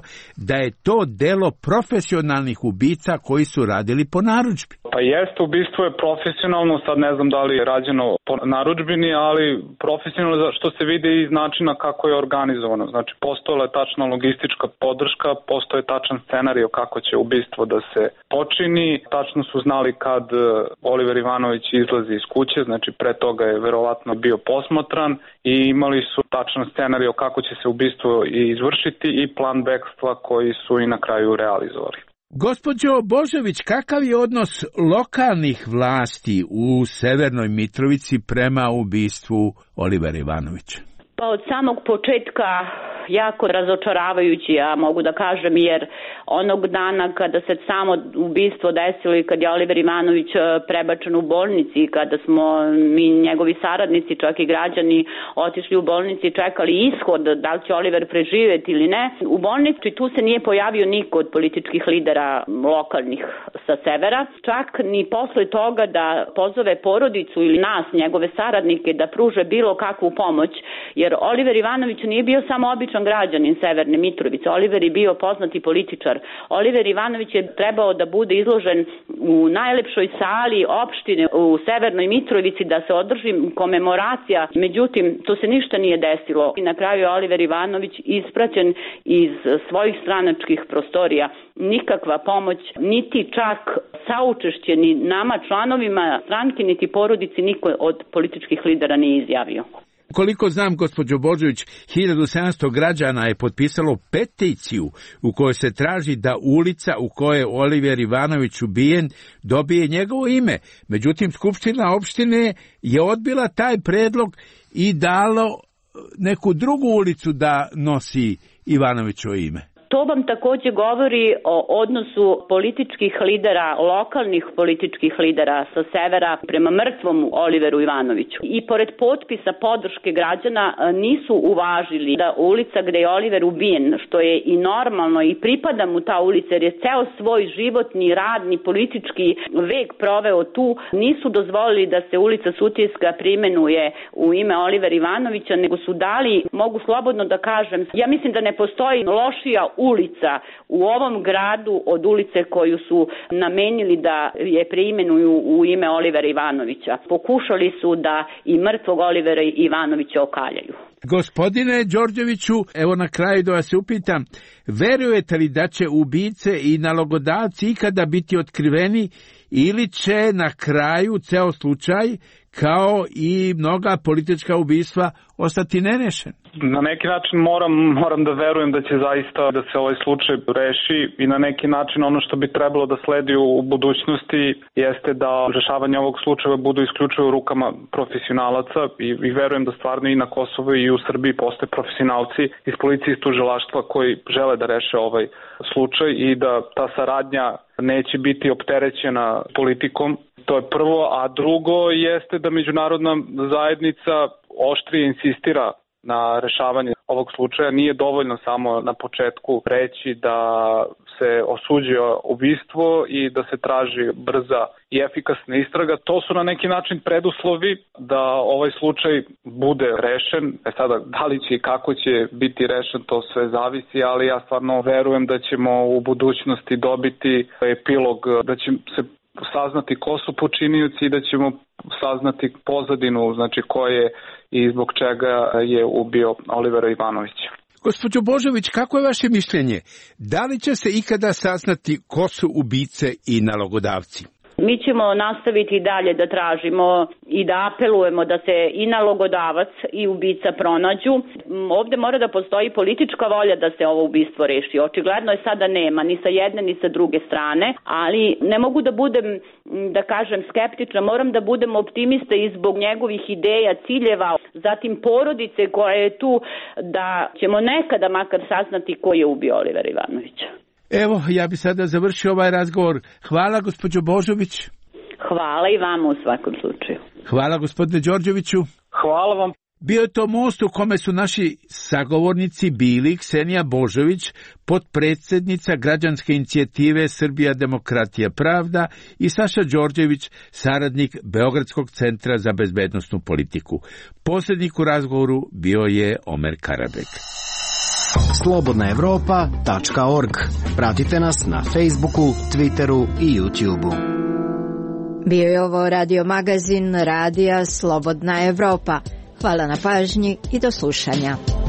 da je to delo profesionalnih ubica koji su radili po narudžbi? Pa jeste, ubistvo je profesionalno, sad ne znam da li je rađeno po narudžbini, ali profesionalno što se vidi iz načina kako je organizovano. Znači, postojala je tačna logistička podrška, postoje tačan scenario kako će ubistvo da se počini, tačno su znali kad Oliver Ivanović izlazi iz kuće, znači pre toga je verovatno bio posmatran i imali su tačan scenario kako će se ubistvo izvršiti i plan bekstva koji su i na kraju realizovali. Gospođo Božović, kakav je odnos lokalnih vlasti u Severnoj Mitrovici prema ubistvu Olivera Ivanovića? Pa od samog početka jako razočaravajući, ja mogu da kažem, jer onog dana kada se samo ubistvo desilo i kad je Oliver Ivanović prebačen u bolnici, kada smo mi, njegovi saradnici, čak i građani, otišli u bolnici i čekali ishod, da li će Oliver preživjeti ili ne, u bolnici tu se nije pojavio niko od političkih lidera lokalnih sa severa, čak ni posle toga da pozove porodicu ili nas, njegove saradnike, da pruže bilo kakvu pomoć, jer Oliver Ivanović nije bio samo običan građanin Severne Mitrovice. Oliver je bio poznati političar. Oliver Ivanović je trebao da bude izložen u najlepšoj sali opštine u Severnoj Mitrovici, da se održi komemoracija. Međutim, to se ništa nije desilo. I na kraju je Oliver Ivanović ispraćen iz svojih stranačkih prostorija. Nikakva pomoć, niti čak saučešće ni nama članovima stranke, niti porodici niko od političkih lidera nije izjavio. Koliko znam, gospođo Božović, 1700 građana je potpisalo peticiju u kojoj se traži da ulica u kojoj je Oliver Ivanović ubijen dobije njegovo ime. Međutim, Skupština opštine je odbila taj predlog i dalo neku drugu ulicu da nosi Ivanovićovo ime. To vam takođe govori o odnosu političkih lidera, lokalnih političkih lidera sa severa prema mrtvom Oliveru Ivanoviću. I pored potpisa podrške građana nisu uvažili da ulica gde je Oliver ubijen, što je i normalno i pripada mu ta ulica jer je ceo svoj životni, radni, politički vek proveo tu, nisu dozvolili da se ulica Sutjeska preimenuje u ime Olivera Ivanovića, nego su dali, mogu slobodno da kažem, ja mislim da ne postoji lošija ulica u ovom gradu od ulice koju su namenili da je preimenuju u ime Olivera Ivanovića. Pokušali su da i mrtvog Olivera Ivanovića okaljaju. Gospodine Đorđeviću, evo na kraju da vas upitam, verujete li da će ubice i nalogodavci ikada biti otkriveni ili će na kraju ceo slučaj, kao i mnoga politička ubistva ostati nerešen? Na neki način moram da verujem da će zaista da se ovaj slučaj reši i na neki način ono što bi trebalo da sledi u budućnosti jeste da rešavanje ovog slučaja budu isključivo u rukama profesionalaca i verujem da stvarno i na Kosovu i u Srbiji postoje profesionalci iz policije i tužilaštva koji žele da reše ovaj slučaj i da ta saradnja neće biti opterećena politikom. To je prvo, a drugo jeste da međunarodna zajednica oštrije insistira na rešavanje ovog slučaja. Nije dovoljno samo na početku reći da se osuđuje ubistvo i da se traži brza i efikasna istraga. To su na neki način preduslovi da ovaj slučaj bude rešen. Sada, da li će i kako će biti rešen, to sve zavisi, ali ja stvarno verujem da ćemo u budućnosti dobiti epilog, da će se saznati ko su počinioci i da ćemo saznati pozadinu, znači ko je i zbog čega je ubio Olivera Ivanovića. Gospođo Božović, kako je vaše mišljenje? Da li će se ikada saznati ko su ubice i nalogodavci? Mi ćemo nastaviti dalje da tražimo i da apelujemo da se i nalogodavac i ubica pronađu. Ovde mora da postoji politička volja da se ovo ubistvo reši. Očigledno je sada nema ni sa jedne ni sa druge strane, ali ne mogu da budem, da kažem, skeptična. Moram da budem optimista i zbog njegovih ideja, ciljeva, zatim porodice koja je tu, da ćemo nekada makar saznati ko je ubio Olivera Ivanovića. Evo, ja bi sada završio ovaj razgovor. Hvala, gospođo Božović. Hvala i vama u svakom slučaju. Hvala, gospodine Đorđeviću. Hvala vam. Bio je to most u kome su naši sagovornici bili Ksenija Božović, potpredsjednica građanske inicijative Srbija demokratija pravda, i Saša Đorđević, saradnik Beogradskog centra za bezbednosnu politiku. Posrednik u razgovoru bio je Omer Karabek. slobodnaevropa.org. Pratite nas na Facebooku, Twitteru i YouTubeu. Bio je ovo radio magazin Radija Slobodna Evropa. Hvala na pažnji i do slušanja.